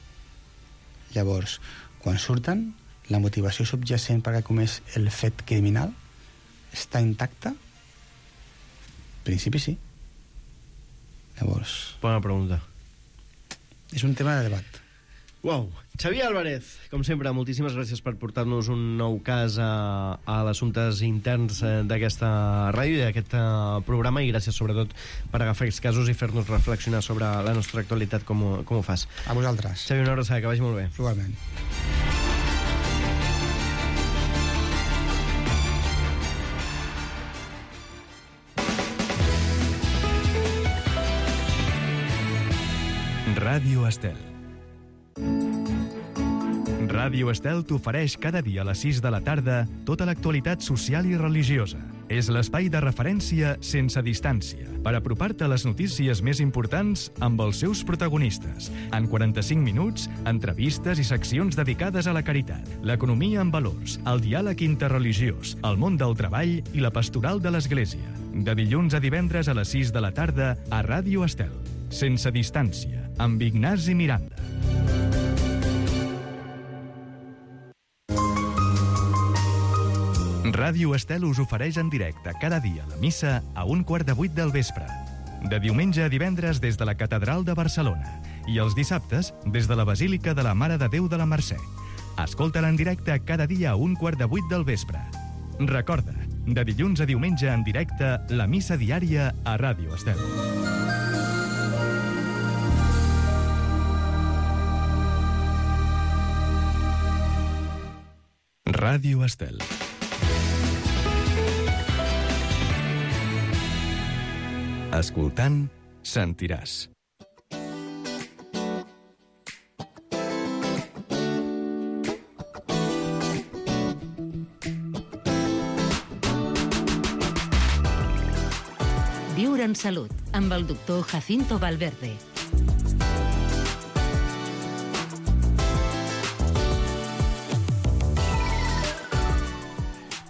Llavors, quan surten, la motivació subjacent perquè ha comès el fet criminal està intacta? En principi sí. Llavors... Bona pregunta. És un tema de debat. Uau. Xavier Álvarez, com sempre, moltíssimes gràcies per portar-nos un nou cas a l'assumptes interns d'aquesta ràdio i d'aquest programa, i gràcies sobretot per agafar aquests casos i fer-nos reflexionar sobre la nostra actualitat com ho fas. A vosaltres. Xavier, una abraçada, que vagi molt bé. Igualment. Ràdio Estel. Ràdio Estel t'ofereix cada dia a les 6 de la tarda tota l'actualitat social i religiosa. És l'espai de referència sense distància per apropar-te a les notícies més importants amb els seus protagonistes. En 45 minuts, entrevistes i seccions dedicades a la caritat, l'economia en valors, el diàleg interreligiós, el món del treball i la pastoral de l'Església. De dilluns a divendres a les 6 de la tarda a Ràdio Estel. Sense distància, amb Ignasi Miranda. Ràdio Estel us ofereix en directe cada dia la missa a 7:15 del vespre. De diumenge a divendres des de la Catedral de Barcelona i els dissabtes des de la Basílica de la Mare de Déu de la Mercè. Escolta-la en directe cada dia a 7:15 del vespre. Recorda, de dilluns a diumenge en directe, la missa diària a Ràdio Estel. Ràdio Estel. Escoltant, sentiràs. Viure en salut, amb el doctor Jacinto Valverde.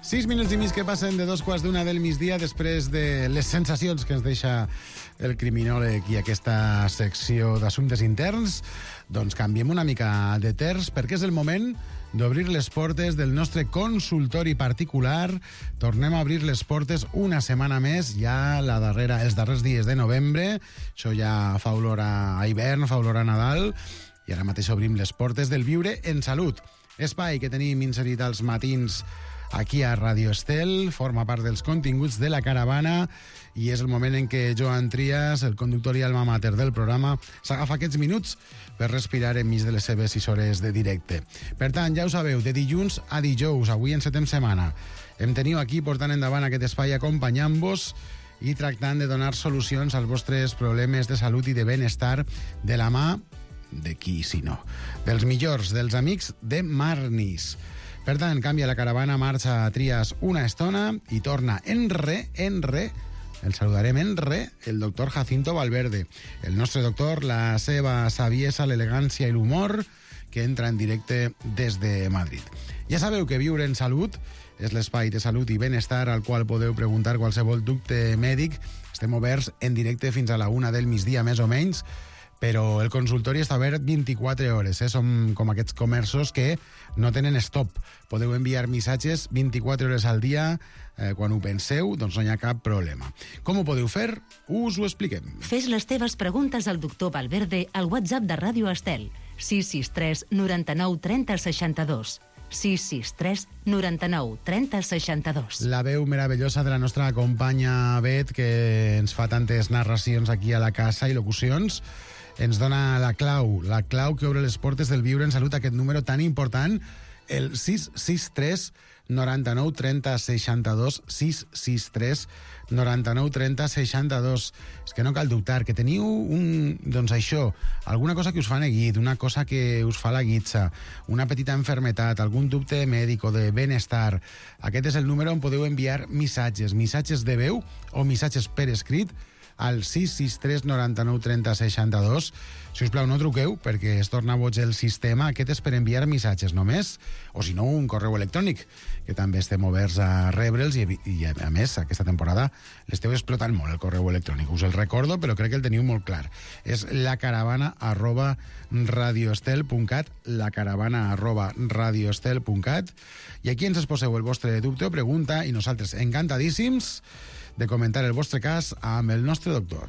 Sis minuts i mig que passen de 2:15 del migdia després de les sensacions que ens deixa el criminòleg i aquesta secció d'assumptes interns. Doncs canviem una mica de terç perquè és el moment d'obrir les portes del nostre consultori particular. Tornem a obrir les portes una setmana més, ja els darrers dies de novembre. Això ja fa olor a hivern, fa olor a Nadal, i ara mateix obrim les portes del Viure en Salut. Espai que tenim inserit als matins aquí a Ràdio Estel, forma part dels continguts de la caravana, i és el moment en què Joan Trias, el conductor i alma mater del programa, s'agafa aquests minuts per respirar enmig de les seves 6 hores de directe. Per tant, ja ho sabeu, de dilluns a dijous, avui encetem setmana, em teniu aquí portant endavant aquest espai acompanyant-vos i tractant de donar solucions als vostres problemes de salut i de benestar de la mà de qui, si no? Dels millors, dels amics de Marnis. Per tant, canvia la caravana, marxa a Trias una estona i torna el saludarem el doctor Jacinto Valverde. El nostre doctor, la seva saviesa, l'elegància i l'humor, que entra en directe des de Madrid. Ja sabeu que Viure en Salut és l'espai de salut i benestar al qual podeu preguntar qualsevol dubte mèdic. Estem oberts en directe fins a la 1 del migdia, més o menys, però el consultori està obert 24 hores. Som com aquests comerços que no tenen stop. Podeu enviar missatges 24 hores al dia. Quan ho penseu, doncs no hi ha cap problema. Com ho podeu fer? Us ho expliquem. Fes les teves preguntes al doctor Valverde al WhatsApp de Ràdio Estel. 663 99 30 62. 663 99 30 62. La veu meravellosa de la nostra companya Bet, que ens fa tantes narracions aquí a la casa i locucions, ens dona la clau que obre les portes del Viure en Salut, aquest número tan important, el 663 99 30 62, 663 99 30 62. És que no cal dubtar, que teniu doncs això, alguna cosa que us fa neguit, una cosa que us fa la guitza, una petita enfermetat, algun dubte mèdic o de benestar. Aquest és el número on podeu enviar missatges de veu o missatges per escrit al 663 99 30 62. Si us plau, no truqueu, perquè es torna boig el sistema. Aquest és per enviar missatges només, o si no, un correu electrònic, que també estem oberts a rebre'ls, i a més, aquesta temporada l'esteu explotant molt, el correu electrònic. Us el recordo, però crec que el teniu molt clar. És lacaravana@radioestel.cat, lacaravana@radioestel.cat, i aquí ens exposeu el vostre dubte o pregunta, i nosaltres encantadíssims de comentar el vostre cas amb el nostre doctor.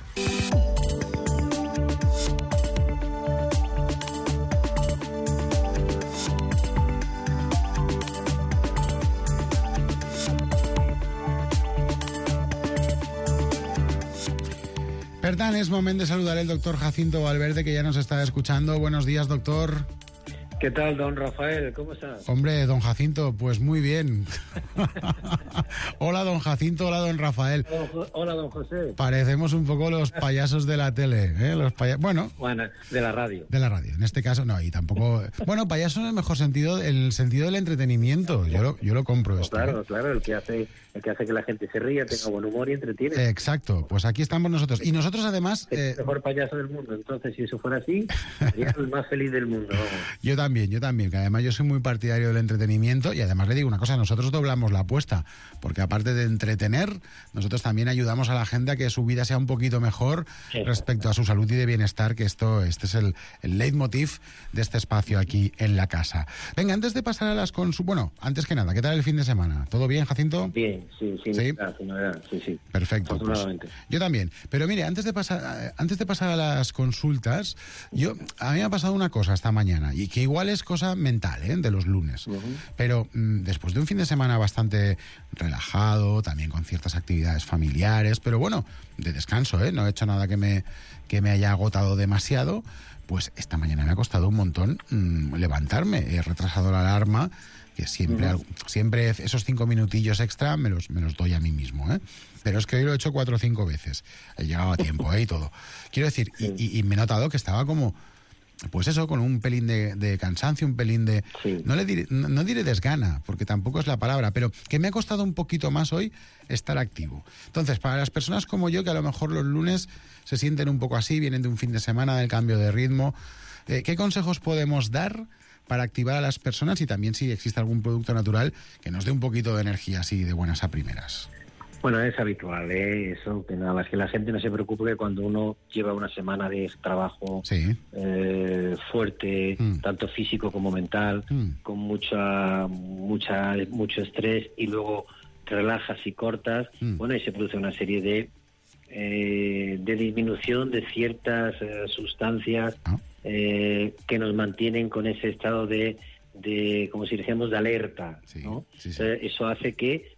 Per tant, es moment de saludar al doctor Jacinto Valverde, que ya nos está escuchando. Buenos días, doctor. ¿Qué tal, don Rafael? ¿Cómo estás? Hombre, don Jacinto, pues muy bien. Hola, don Jacinto, hola, don Rafael. Hola, don José. Parecemos un poco los payasos de la tele, ¿eh? Bueno, de la radio. De la radio, en este caso no, y tampoco... Bueno, payaso en el mejor sentido, en el sentido del entretenimiento. Yo lo compro esto. Claro, claro, el que hace que la gente se ría, tenga buen humor y entretiene. Exacto, pues aquí estamos nosotros. Y nosotros además... Es el mejor payaso del mundo, entonces si eso fuera así, sería el más feliz del mundo. Yo también, que además yo soy muy partidario del entretenimiento, y además le digo una cosa, nosotros doblamos la apuesta, porque aparte de entretener, nosotros también ayudamos a la gente a que su vida sea un poquito mejor respecto a su salud y de bienestar, que este es el leitmotiv de este espacio aquí en la casa. Venga, antes de pasar a las consultas, bueno, antes que nada, ¿qué tal el fin de semana? ¿Todo bien, Jacinto? Bien, sí. Sí. Perfecto. Afortunadamente. Pues, yo también. Pero mire, antes de pasar a las consultas, a mí me ha pasado una cosa esta mañana, y que igual es cosa mental, de los lunes. Pero después de un fin de semana bastante relajado, también con ciertas actividades familiares, pero bueno, de descanso, no he hecho nada que me haya agotado demasiado, pues esta mañana me ha costado un montón levantarme. He retrasado la alarma, que siempre esos 5 minutillos extra me los doy a mí mismo, Pero es que hoy lo he hecho 4 o 5 veces. He llegado a tiempo, y todo. Quiero decir, y me he notado que estaba como... Pues eso, con un pelín de cansancio, un pelín de... Sí. No diré desgana, porque tampoco es la palabra, pero que me ha costado un poquito más hoy estar activo. Entonces, para las personas como yo, que a lo mejor los lunes se sienten un poco así, vienen de un fin de semana, del cambio de ritmo, ¿qué consejos podemos dar para activar a las personas, y también si existe algún producto natural que nos dé un poquito de energía así de buenas a primeras? Bueno, es habitual, eso, que nada más que la gente no se preocupe, que cuando uno lleva una semana de trabajo fuerte, tanto físico como mental, con mucho estrés, y luego te relajas y cortas, bueno, y se produce una serie de disminución de ciertas sustancias que nos mantienen con ese estado de como si decíamos, de alerta, ¿no? Sí. Eso hace que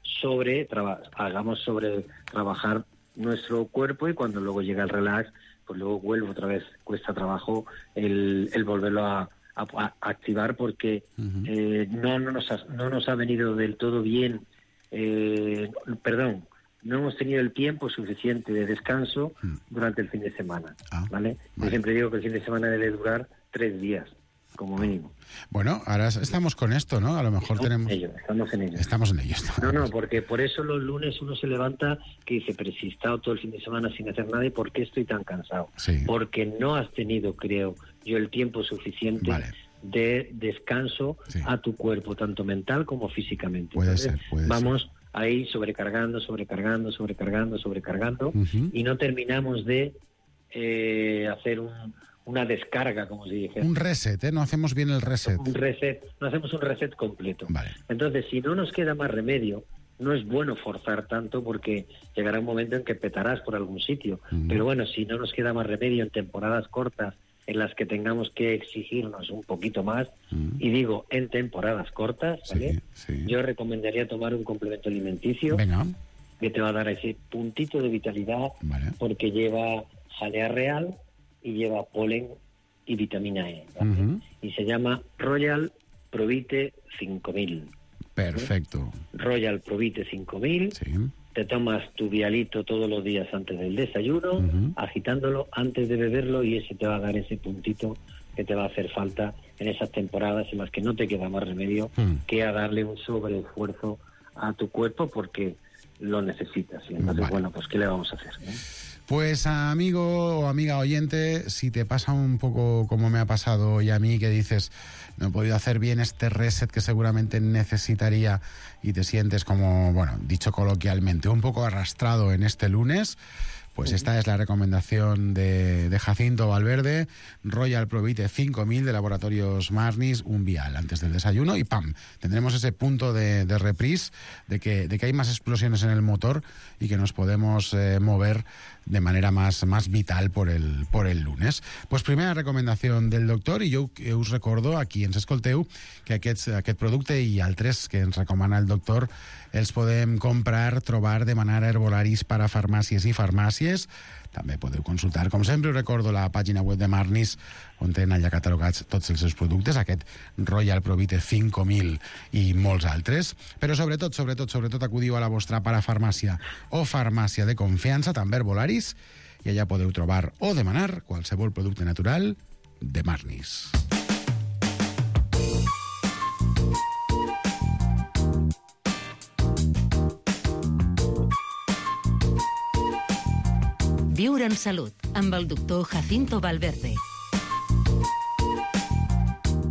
hagamos sobre trabajar nuestro cuerpo, y cuando luego llega el relax, pues luego vuelve otra vez, cuesta trabajo el volverlo a activar, porque no nos ha venido del todo bien, no hemos tenido el tiempo suficiente de descanso durante el fin de semana, ¿vale? Yo siempre digo que el fin de semana debe durar 3 días. como mínimo. Bueno, ahora estamos con esto, ¿no? A lo mejor Estamos en ello. Estamos en ello. No, porque por eso los lunes uno se levanta que dice, pero si he estado todo el fin de semana sin hacer nada, ¿y por qué estoy tan cansado? Sí. Porque no has tenido, creo yo, el tiempo suficiente de descanso a tu cuerpo, tanto mental como físicamente. Puede Entonces, ser. Vamos ahí sobrecargando, y no terminamos de hacer una descarga, como se dice. Un reset, ¿eh? No hacemos bien el reset. No hacemos un reset completo. Vale. Entonces, si no nos queda más remedio, no es bueno forzar tanto porque llegará un momento en que petarás por algún sitio. Pero bueno, si no nos queda más remedio en temporadas cortas en las que tengamos que exigirnos un poquito más, y digo, en temporadas cortas, ¿vale? Yo recomendaría tomar un complemento alimenticio que te va a dar ese puntito de vitalidad, porque lleva jalea real y lleva polen y vitamina E, ¿vale? Y se llama Royal Provite 5000. Perfecto. Royal Provite 5000. Te tomas tu vialito todos los días antes del desayuno, agitándolo antes de beberlo, y ese te va a dar ese puntito que te va a hacer falta en esas temporadas en las que no te queda más remedio que a darle un sobreesfuerzo a tu cuerpo porque lo necesitas. Y entonces, bueno, pues ¿qué le vamos a hacer? Pues amigo o amiga oyente, si te pasa un poco como me ha pasado hoy a mí, que dices, no he podido hacer bien este reset que seguramente necesitaría, y te sientes como, bueno, dicho coloquialmente, un poco arrastrado en este lunes, pues esta es la recomendación de Jacinto Valverde, Royal Provite 5000 de Laboratorios Marnis, un vial antes del desayuno, y ¡pam! Tendremos ese punto de reprise, de que hay más explosiones en el motor y que nos podemos mover de manera más vital por el lunes. Pues primera recomendación del doctor, i jo us recordo, aquí ens escolteu, que aquest producte i altres que ens recomana el doctor els podem comprar, trobar, demanar a herbolaris per a farmàcies i farmàcies. També podeu consultar, com sempre, us recordo la pàgina web de Marnis, on tenen allà catalogats tots els seus productes, aquest Royal Provite 5000 i molts altres. Però sobretot acudiu a la vostra parafarmàcia o farmàcia de confiança, també herbolaris, i allà podeu trobar o demanar qualsevol producte natural de Marnis. Viure en salut, amb el doctor Jacinto Valverde.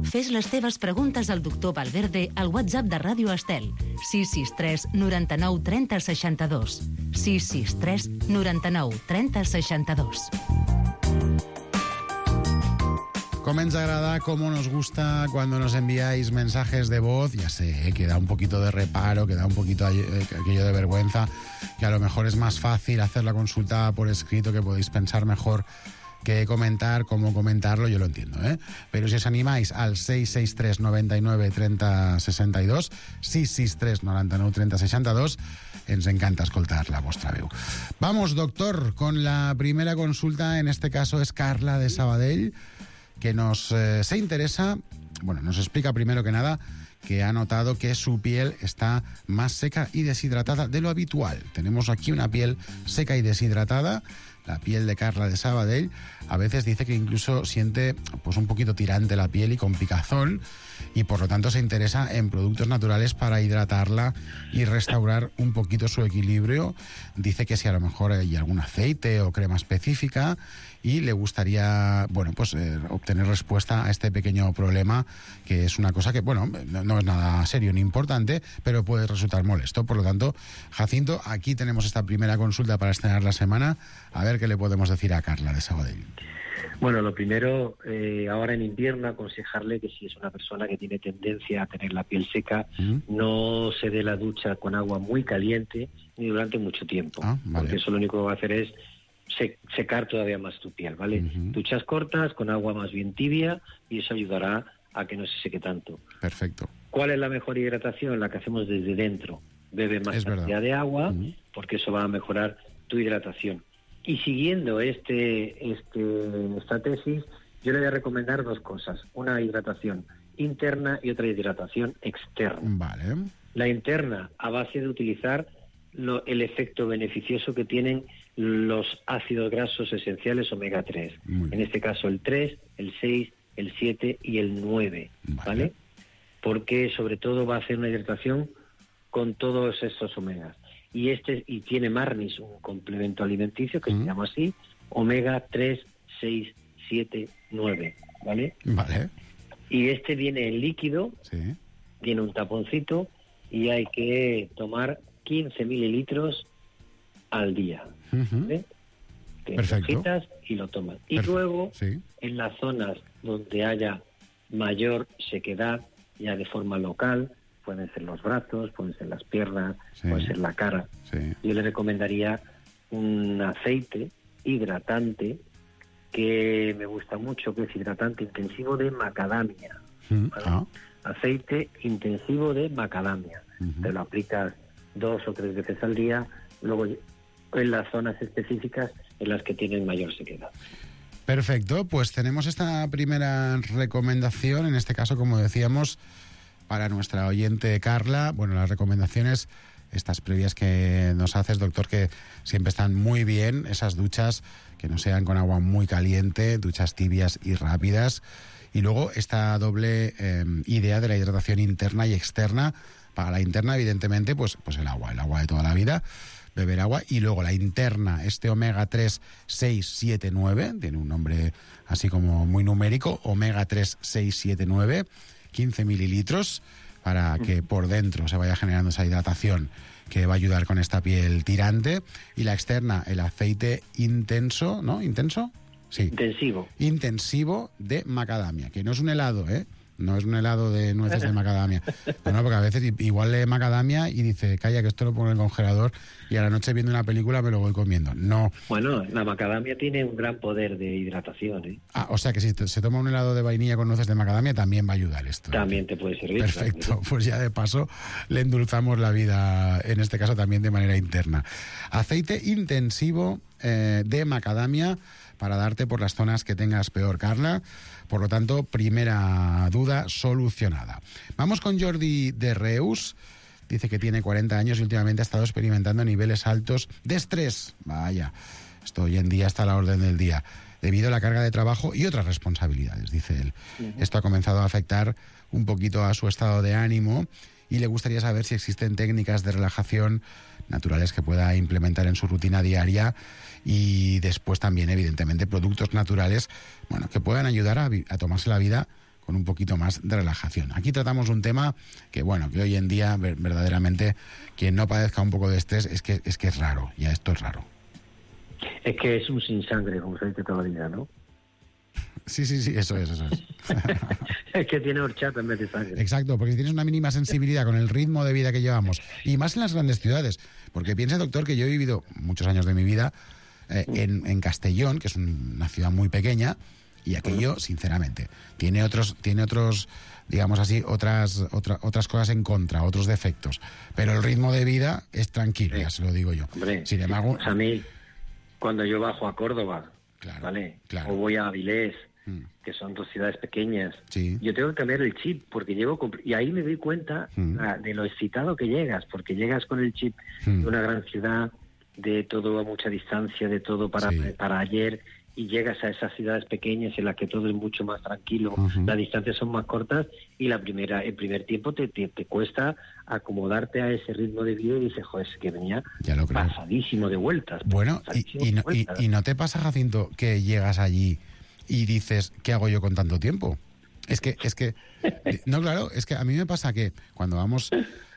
Fes les teves preguntes al doctor Valverde al WhatsApp de Ràdio Estel, 663 99 30 62. 663 99 30 62. Cómo nos agrada, cómo nos gusta cuando nos enviáis mensajes de voz. Ya sé, que da un poquito de reparo, que da un poquito aquello de vergüenza, que a lo mejor es más fácil hacer la consulta por escrito, que podéis pensar mejor que comentar, cómo comentarlo, yo lo entiendo, ¿eh? Pero si os animáis al 663 99 30 62, 663 99 30 62, ens encanta escoltar la vostra veu. Vamos, doctor, con la primera consulta. En este caso es Carla de Sabadell, que se interesa, bueno, nos explica primero que nada que ha notado que su piel está más seca y deshidratada de lo habitual. Tenemos aquí una piel seca y deshidratada, la piel de Carla de Sabadell. A veces dice que incluso siente pues un poquito tirante la piel y con picazón, y por lo tanto se interesa en productos naturales para hidratarla y restaurar un poquito su equilibrio. Dice que si a lo mejor hay algún aceite o crema específica, y le gustaría, bueno, pues obtener respuesta a este pequeño problema, que es una cosa que, bueno, no es nada serio ni importante, pero puede resultar molesto. Por lo tanto, Jacinto, aquí tenemos esta primera consulta para estrenar la semana. A ver qué le podemos decir a Carla de Sabadell. Bueno, lo primero, ahora en invierno, aconsejarle que si es una persona que tiene tendencia a tener la piel seca, no se dé la ducha con agua muy caliente ni durante mucho tiempo, porque eso lo único que va a hacer es secar todavía más tu piel, ¿vale? Duchas cortas, con agua más bien tibia, y eso ayudará a que no se seque tanto. Perfecto. ¿Cuál es la mejor hidratación? La que hacemos desde dentro. Bebe más cantidad de agua, porque eso va a mejorar tu hidratación. Y siguiendo esta tesis, yo le voy a recomendar dos cosas. Una hidratación interna y otra hidratación externa. Vale. La interna, a base de utilizar el efecto beneficioso que tienen los ácidos grasos esenciales omega 3. En este caso el 3, el 6 el 7 y el 9, ¿vale? Porque sobre todo va a hacer una hidratación con todos estos omegas. Y tiene Marnis, un complemento alimenticio que se llama así, omega 3, 6, 7, 9, ¿vale? Vale. Y este viene en líquido, tiene un taponcito y hay que tomar 15 mililitros al día, ¿vale? Perfecto. Y lo toman. Y luego, en las zonas donde haya mayor sequedad, ya de forma local, pueden ser los brazos, pueden ser las piernas, puede ser la cara. Yo le recomendaría un aceite hidratante que me gusta mucho, que es hidratante intensivo de macadamia. ¿Vale? Aceite intensivo de macadamia. Te lo aplicas 2 o 3 veces al día, luego en las zonas específicas en las que tienen mayor sequedad. Perfecto, pues tenemos esta primera recomendación, en este caso, como decíamos, para nuestra oyente Carla. Bueno, las recomendaciones, estas previas que nos haces, doctor, que siempre están muy bien, esas duchas que no sean con agua muy caliente, duchas tibias y rápidas. Y luego esta doble idea de la hidratación interna y externa. Para la interna, evidentemente, pues el agua de toda la vida, beber agua. Y luego la interna, este omega 3, 6, 7, 9, tiene un nombre así como muy numérico, omega 3, 6, 7, 9, 15 mililitros, para que por dentro se vaya generando esa hidratación que va a ayudar con esta piel tirante. Y la externa, el aceite intenso, ¿no? ¿Intenso? Sí. Intensivo de macadamia, que no es un helado, ¿eh? No es un helado de nueces de macadamia. No, porque a veces igual lee macadamia y dice, calla, que esto lo pongo en el congelador y a la noche viendo una película me lo voy comiendo. No. Bueno, la macadamia tiene un gran poder de hidratación, ¿eh? O sea que si se toma un helado de vainilla con nueces de macadamia también va a ayudar esto. También te puede servir. Perfecto. Claro. Pues ya de paso le endulzamos la vida, en este caso también de manera interna. Aceite intensivo de macadamia para darte por las zonas que tengas peor, Carla. Por lo tanto, primera duda solucionada. Vamos con Jordi de Reus. Dice que tiene 40 años y últimamente ha estado experimentando niveles altos de estrés. Vaya, esto hoy en día está a la orden del día, debido a la carga de trabajo y otras responsabilidades, dice él. Esto ha comenzado a afectar un poquito a su estado de ánimo y le gustaría saber si existen técnicas de relajación naturales que pueda implementar en su rutina diaria, y después también, evidentemente, productos naturales, bueno, que puedan ayudar a tomarse la vida con un poquito más de relajación. Aquí tratamos un tema que, bueno, que hoy en día verdaderamente quien no padezca un poco de estrés es que es raro, ya esto es raro. Es que es un sin sangre, como se dice toda la vida, ¿no? Sí, eso es. Es que tiene horchata en vez de sangre. Exacto, porque si tienes una mínima sensibilidad con el ritmo de vida que llevamos, y más en las grandes ciudades, porque piensa, doctor, que yo he vivido muchos años de mi vida en Castellón, que es una ciudad muy pequeña, y aquello, sinceramente, tiene otros, digamos así, otras cosas en contra, otros defectos, pero el ritmo de vida es tranquilo, ya se lo digo yo. Hombre, sin embargo, pues a mí, cuando yo bajo a Córdoba, ¿vale? Claro. O voy a Avilés, que son 2 ciudades pequeñas, yo tengo que cambiar el chip, porque y ahí me doy cuenta de lo excitado que llegas, porque llegas con el chip de una gran ciudad, de todo a mucha distancia, de todo para ayer, y llegas a esas ciudades pequeñas en las que todo es mucho más tranquilo, las distancias son más cortas, y el primer tiempo te cuesta acomodarte a ese ritmo de vida, y dices, joder, es que venía pasadísimo de vueltas. Bueno, y no te pasa, Jacinto, que llegas allí y dices, ¿qué hago yo con tanto tiempo? Es que no, claro, es que a mí me pasa que cuando vamos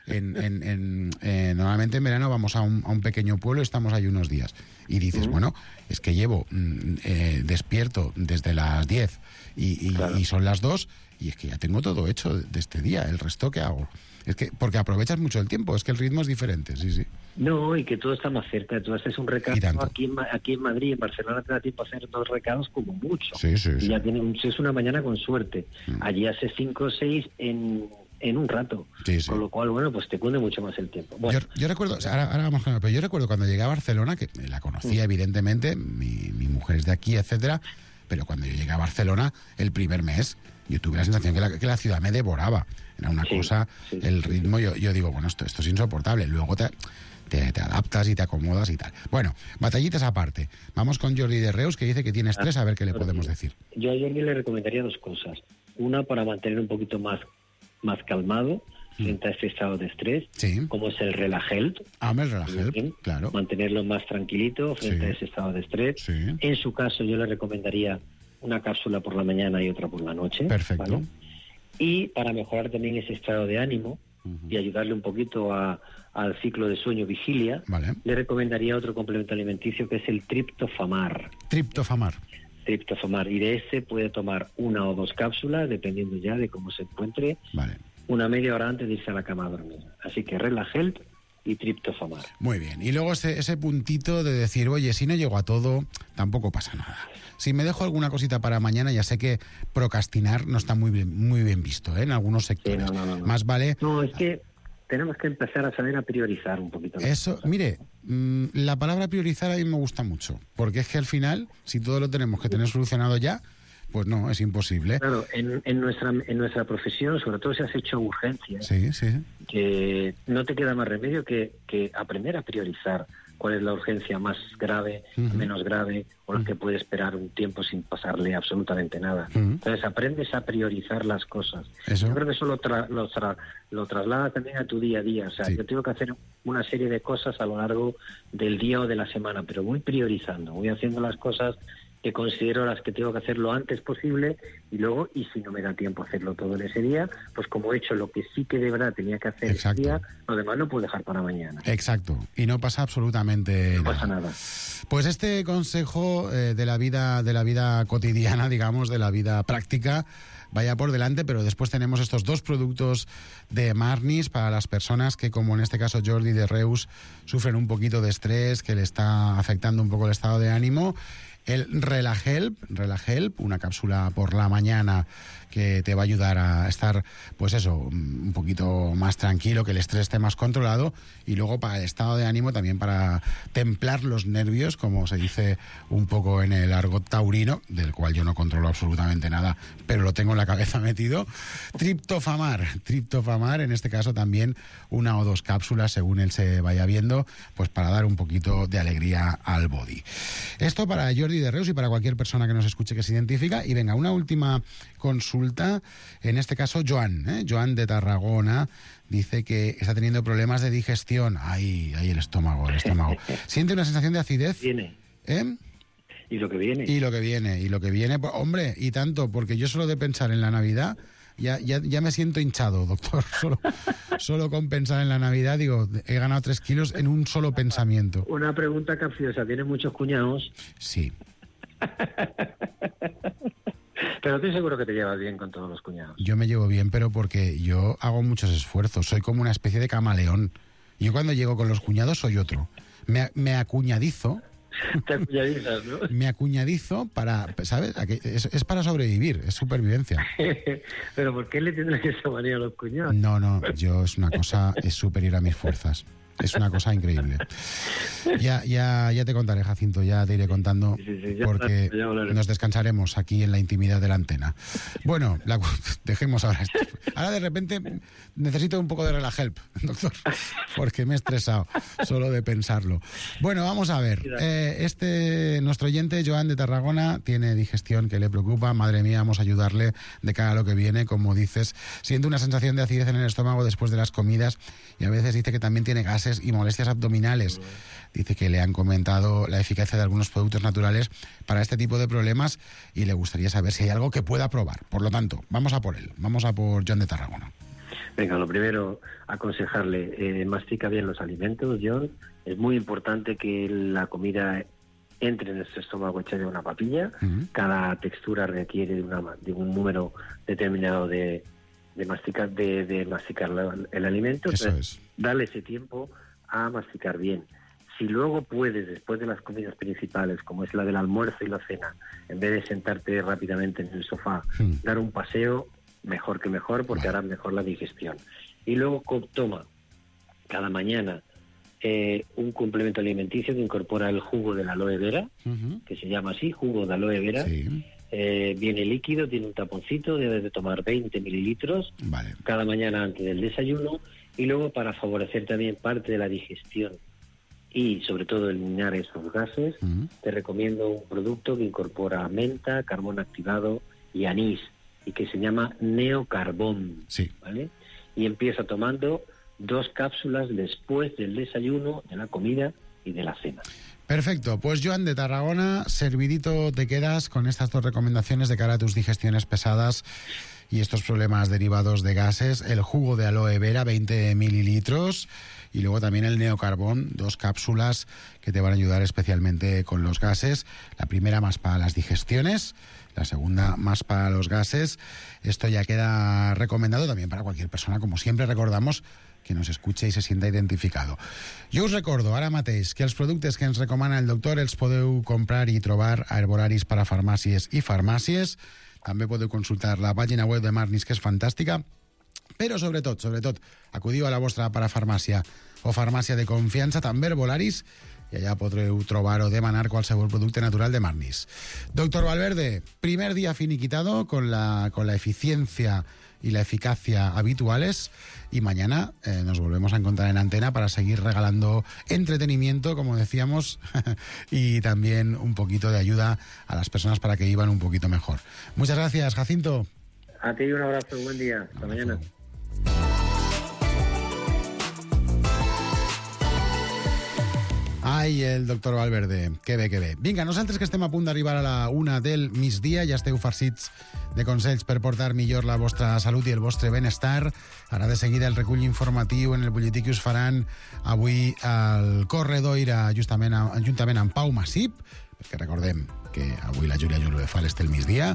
normalmente en verano vamos a un pequeño pueblo y estamos ahí unos días y dices, bueno, es que llevo despierto desde las 10 y son las 2 y es que ya tengo todo hecho de este día, el resto ¿qué hago? Es que porque aprovechas mucho el tiempo, es que el ritmo es diferente, sí. No, y que todo está más cerca. Tú haces un recado aquí en Madrid, en Barcelona te da tiempo a hacer 2 recados como mucho. Sí. Y ya es una mañana con suerte. Allí haces 5 o 6 en un rato. Con lo cual, bueno, pues te cunde mucho más el tiempo. Bueno. Yo recuerdo, ahora vamos con pero yo recuerdo cuando llegué a Barcelona, que la conocía evidentemente, mi mujer es de aquí, etcétera, pero cuando yo llegué a Barcelona, el primer mes, yo tuve la sensación que la ciudad me devoraba. Era una cosa, el ritmo, yo digo, bueno, esto es insoportable. Luego te te adaptas y te acomodas y tal. Bueno, batallitas aparte. Vamos con Jordi de Reus, que dice que tiene estrés, a ver qué le podemos decir. Yo a Jordi le recomendaría 2 cosas. Una, para mantener un poquito más calmado frente a este estado de estrés, como es el Relagel. El Relagel, claro. Mantenerlo más tranquilito frente a ese estado de estrés. En su caso, yo le recomendaría una cápsula por la mañana y otra por la noche. Perfecto. ¿vale? Y para mejorar también ese estado de ánimo y ayudarle un poquito al ciclo de sueño-vigilia, le recomendaría otro complemento alimenticio que es el triptofamar. Triptofamar. Y de ese puede tomar 1 o 2 cápsulas, dependiendo ya de cómo se encuentre, una media hora antes de irse a la cama a dormir. Así que Relagel y triptofamar. Muy bien. Y luego ese puntito de decir, oye, si no llego a todo, tampoco pasa nada. Si me dejo alguna cosita para mañana, ya sé que procrastinar no está muy bien visto, ¿eh? En algunos sectores. Sí, no. Más vale... No, es que tenemos que empezar a saber a priorizar un poquito. Eso, mire, la palabra priorizar a mí me gusta mucho, porque es que al final, si todo lo tenemos que tener solucionado ya, pues no, es imposible. Claro, en nuestra profesión, sobre todo si has hecho urgencias, que no te queda más remedio que aprender a priorizar cuál es la urgencia más grave, menos grave, o la que puede esperar un tiempo sin pasarle absolutamente nada. Entonces aprendes a priorizar las cosas. Yo creo que eso lo traslada también a tu día a día. O sea, yo tengo que hacer una serie de cosas a lo largo del día o de la semana, pero voy priorizando, voy haciendo las cosas que considero las que tengo que hacer lo antes posible, y luego, y si no me da tiempo a hacerlo todo en ese día, pues como he hecho lo que sí que de verdad tenía que hacer ese día, lo demás lo puedo dejar para mañana. Exacto, y no pasa absolutamente nada. No pasa nada. Pues este consejo de la vida cotidiana, digamos, de la vida práctica, vaya por delante, pero después tenemos estos 2 productos de Marnis para las personas que, como en este caso Jordi de Reus, sufren un poquito de estrés, que le está afectando un poco el estado de ánimo. El Relagel, una cápsula por la mañana que te va a ayudar a estar, pues eso, un poquito más tranquilo, que el estrés esté más controlado, y luego para el estado de ánimo también para templar los nervios, como se dice un poco en el argot taurino, del cual yo no controlo absolutamente nada, pero lo tengo en la cabeza metido. Triptofamar, en este caso también 1 o 2 cápsulas según él se vaya viendo, pues para dar un poquito de alegría al body. Esto para Jordi de Reus y para cualquier persona que nos escuche que se identifica. Y venga, una última consulta, en este caso Joan de Tarragona, dice que está teniendo problemas de digestión. Ay, el estómago. Siente una sensación de acidez. Viene. Y lo que viene. Y lo que viene, pues, hombre, y tanto, porque yo solo de pensar en la Navidad ya me siento hinchado, doctor. Solo con pensar en la Navidad, digo, he ganado 3 kilos en un solo pensamiento. Una pregunta capciosa, ¿tienes muchos cuñados? Sí. Pero estoy seguro que te llevas bien con todos los cuñados. Yo me llevo bien, pero porque yo hago muchos esfuerzos. Soy como una especie de camaleón. Yo cuando llego con los cuñados soy otro. Me acuñadizo. Te acuñadizas, ¿no? Me acuñadizo para, ¿sabes? Es para sobrevivir, es supervivencia. ¿Pero por qué le tendrás esa manía a los cuñados? No, yo es superior a mis fuerzas. Es una cosa increíble. Ya te contaré, Jacinto, ya te iré contando, porque nos descansaremos aquí en la intimidad de la antena. Bueno, dejemos ahora esto. Ahora de repente necesito un poco de Relagel, doctor, porque me he estresado solo de pensarlo. Bueno, vamos a ver. Nuestro oyente, Joan de Tarragona, tiene digestión que le preocupa. Madre mía, vamos a ayudarle de cara a lo que viene. Como dices, siente una sensación de acidez en el estómago después de las comidas, y a veces dice que también tiene gases y molestias abdominales. Dice que le han comentado la eficacia de algunos productos naturales para este tipo de problemas y le gustaría saber si hay algo que pueda probar. Por lo tanto, vamos a por él. Vamos a por John de Tarragona. Venga, lo primero, aconsejarle, mastica bien los alimentos, John. Es muy importante que la comida entre en nuestro estómago hecha de una papilla. Cada textura requiere de un número determinado de masticar el alimento. Entonces, darle ese tiempo a masticar bien. Si luego puedes, después de las comidas principales, como es la del almuerzo y la cena, en vez de sentarte rápidamente en el sofá, dar un paseo, mejor que mejor, porque hará mejor la digestión. Y luego toma cada mañana un complemento alimenticio que incorpora el jugo de la aloe vera, que se llama así, jugo de aloe vera. Viene líquido, tiene un taponcito, debes de tomar 20 mililitros cada mañana antes del desayuno, y luego para favorecer también parte de la digestión y sobre todo eliminar esos gases, te recomiendo un producto que incorpora menta, carbón activado y anís, y que se llama Neocarbón, ¿vale? Y empieza tomando 2 cápsulas después del desayuno, de la comida y de la cena. Perfecto, pues Joan de Tarragona, servidito te quedas con estas 2 recomendaciones de cara a tus digestiones pesadas y estos problemas derivados de gases. El jugo de aloe vera, 20 mililitros, y luego también el Neocarbón, 2 cápsulas que te van a ayudar especialmente con los gases. La primera más para las digestiones, la segunda más para los gases. Esto ya queda recomendado también para cualquier persona, como siempre recordamos, que nos escuche i se sienta identificado. Jo us recordo ara mateix que els productes que ens recomana el doctor els podeu comprar i trobar a herbolaris per a farmàcies i farmàcies. També podeu consultar la pàgina web de Marnis, que és fantàstica, però sobretot, acudiu a la vostra parafarmàcia o farmàcia de confiança, també herbolaris, i allà podreu trobar o demanar qualsevol producte natural de Marnis. Doctor Valverde, primer día finiquitado con la eficiencia y la eficacia habituales, y mañana nos volvemos a encontrar en antena para seguir regalando entretenimiento, como decíamos, y también un poquito de ayuda a las personas para que vivan un poquito mejor. Muchas gracias, Jacinto. A ti un abrazo, buen día, hasta mañana. Ai, el doctor Valverde, que bé, que bé. Vinga, nosaltres que estem a punt d'arribar a la 1 del migdia, ja esteu farcits de consells per portar millor la vostra salut i el vostre benestar. Ara de seguida el recull informatiu en el butlletí que us faran avui al Corredoira, juntament amb Pau Massip, perquè recordem que avui la Júlia Julve fa l'Estel migdia.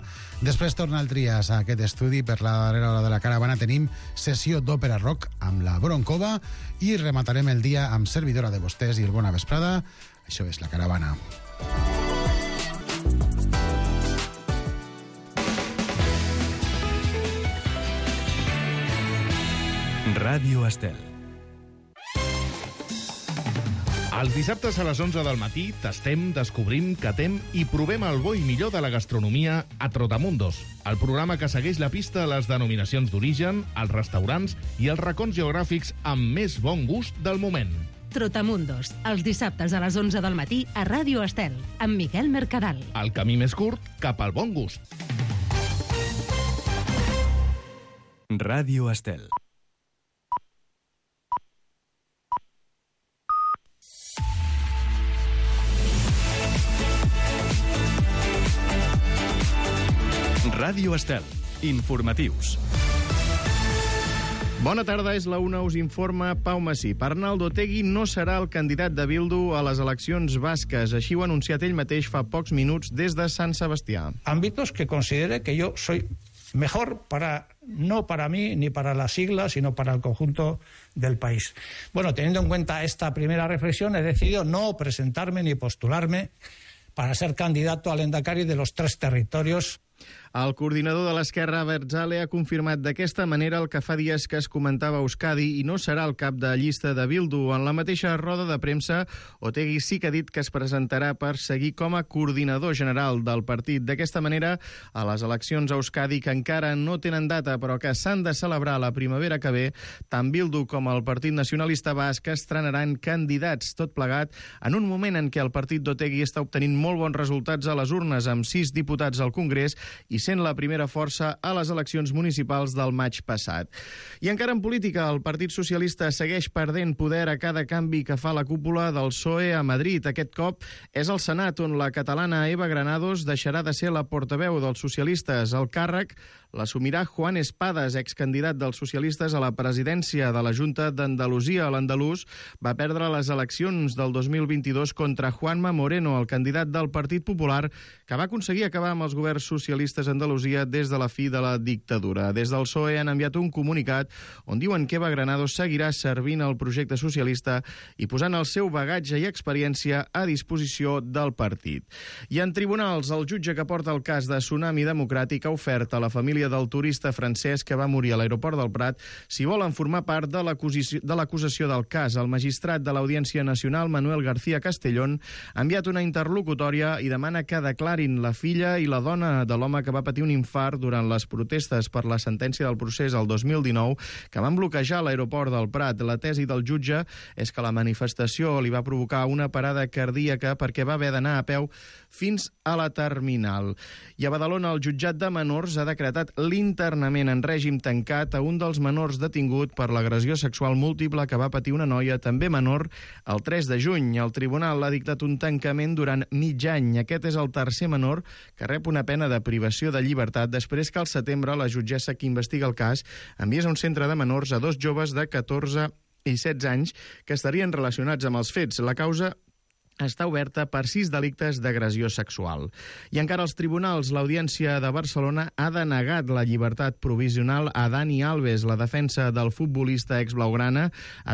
Després torna el Trias a aquest estudi. Per la darrera hora de la caravana tenim sessió d'òpera rock amb la Broncova i rematarem el dia amb servidora de vostès i el Bona Vesprada. Això és la caravana. Ràdio Estel. Els dissabtes a les 11 del matí tastem, descobrim, catem i provem el bo i millor de la gastronomia a Trotamundos, el programa que segueix la pista a les denominacions d'origen, els restaurants i els racons geogràfics amb més bon gust del moment. Trotamundos, els dissabtes a les 11 del matí a Ràdio Estel, amb Miquel Mercadal. El camí més curt cap al bon gust. Ràdio Estel. Ràdio Estel. Informatius. Bona tarda, és la una, us informa Pau Massip. Arnaldo Otegi no serà el candidat de Bildu a les eleccions basques. Així ho ha anunciat ell mateix fa pocs minuts des de Sant Sebastià. Ámbitos que considere que yo soy mejor no para mí ni para la sigla, sino para el conjunto del país. Bueno, teniendo en cuenta esta primera reflexión, he decidido no presentarme ni postularme para ser candidato al Endacari de los 3 territorios. El coordinador de l'Esquerra, Abertzale, ha confirmat d'aquesta manera el que fa dies que es comentava a Euskadi i no serà el cap de llista de Bildu. En la mateixa roda de premsa, Otegi sí que ha dit que es presentarà per seguir com a coordinador general del partit. D'aquesta manera, a les eleccions a Euskadi, que encara no tenen data però que s'han de celebrar la primavera que ve, tant Bildu com el Partit Nacionalista Basc estrenaran candidats, tot plegat en un moment en què el partit d'Otegi està obtenint molt bons resultats a les urnes, amb 6 diputats al Congrés i sent la primera força a les eleccions municipals del maig passat. I encara en política, el Partit Socialista segueix perdent poder a cada canvi que fa la cúpula del PSOE a Madrid. Aquest cop és al Senat, on la catalana Eva Granados deixarà de ser la portaveu dels socialistes. El càrrec l'assumirà Juan Espadas, excandidat dels socialistes a la presidència de la Junta d'Andalusia. L'andalús va perdre les eleccions del 2022 contra Juanma Moreno, el candidat del Partit Popular, que va aconseguir acabar amb els governs socialistes a Andalusia des de la fi de la dictadura. Des del PSOE han enviat un comunicat on diuen que Eva Granados seguirà servint al projecte socialista i posant el seu bagatge i experiència a disposició del partit. I en tribunals, el jutge que porta el cas de Tsunami Democràtic ha ofert a la família família del turista francès que va morir a l'aeroport del Prat si volen formar part de l'acusació del cas. El magistrat de l'Audiència Nacional, Manuel García Castellón, ha enviat una interlocutòria i demana que declarin la filla i la dona de l'home que va patir un infart durant les protestes per la sentència del procés el 2019 que van bloquejar l'aeroport del Prat. La tesi del jutge és que la manifestació li va provocar una parada cardíaca perquè va haver d'anar a peu fins a la terminal. I a Badalona, el jutjat de menors ha decretat l'internament en règim tancat a un dels menors detingut per l'agressió sexual múltiple que va patir una noia, també menor, el 3 de juny. El tribunal ha dictat un tancament durant mig any. Aquest és el tercer menor que rep una pena de privació de llibertat després que al setembre la jutgessa que investiga el cas enviés a un centre de menors a 2 joves de 14 i 16 anys que estarien relacionats amb els fets. La causa està oberta per 6 delictes d'agressió sexual. I encara als tribunals, l'Audiència de Barcelona ha denegat la llibertat provisional a Dani Alves. La defensa del futbolista exblaugrana ha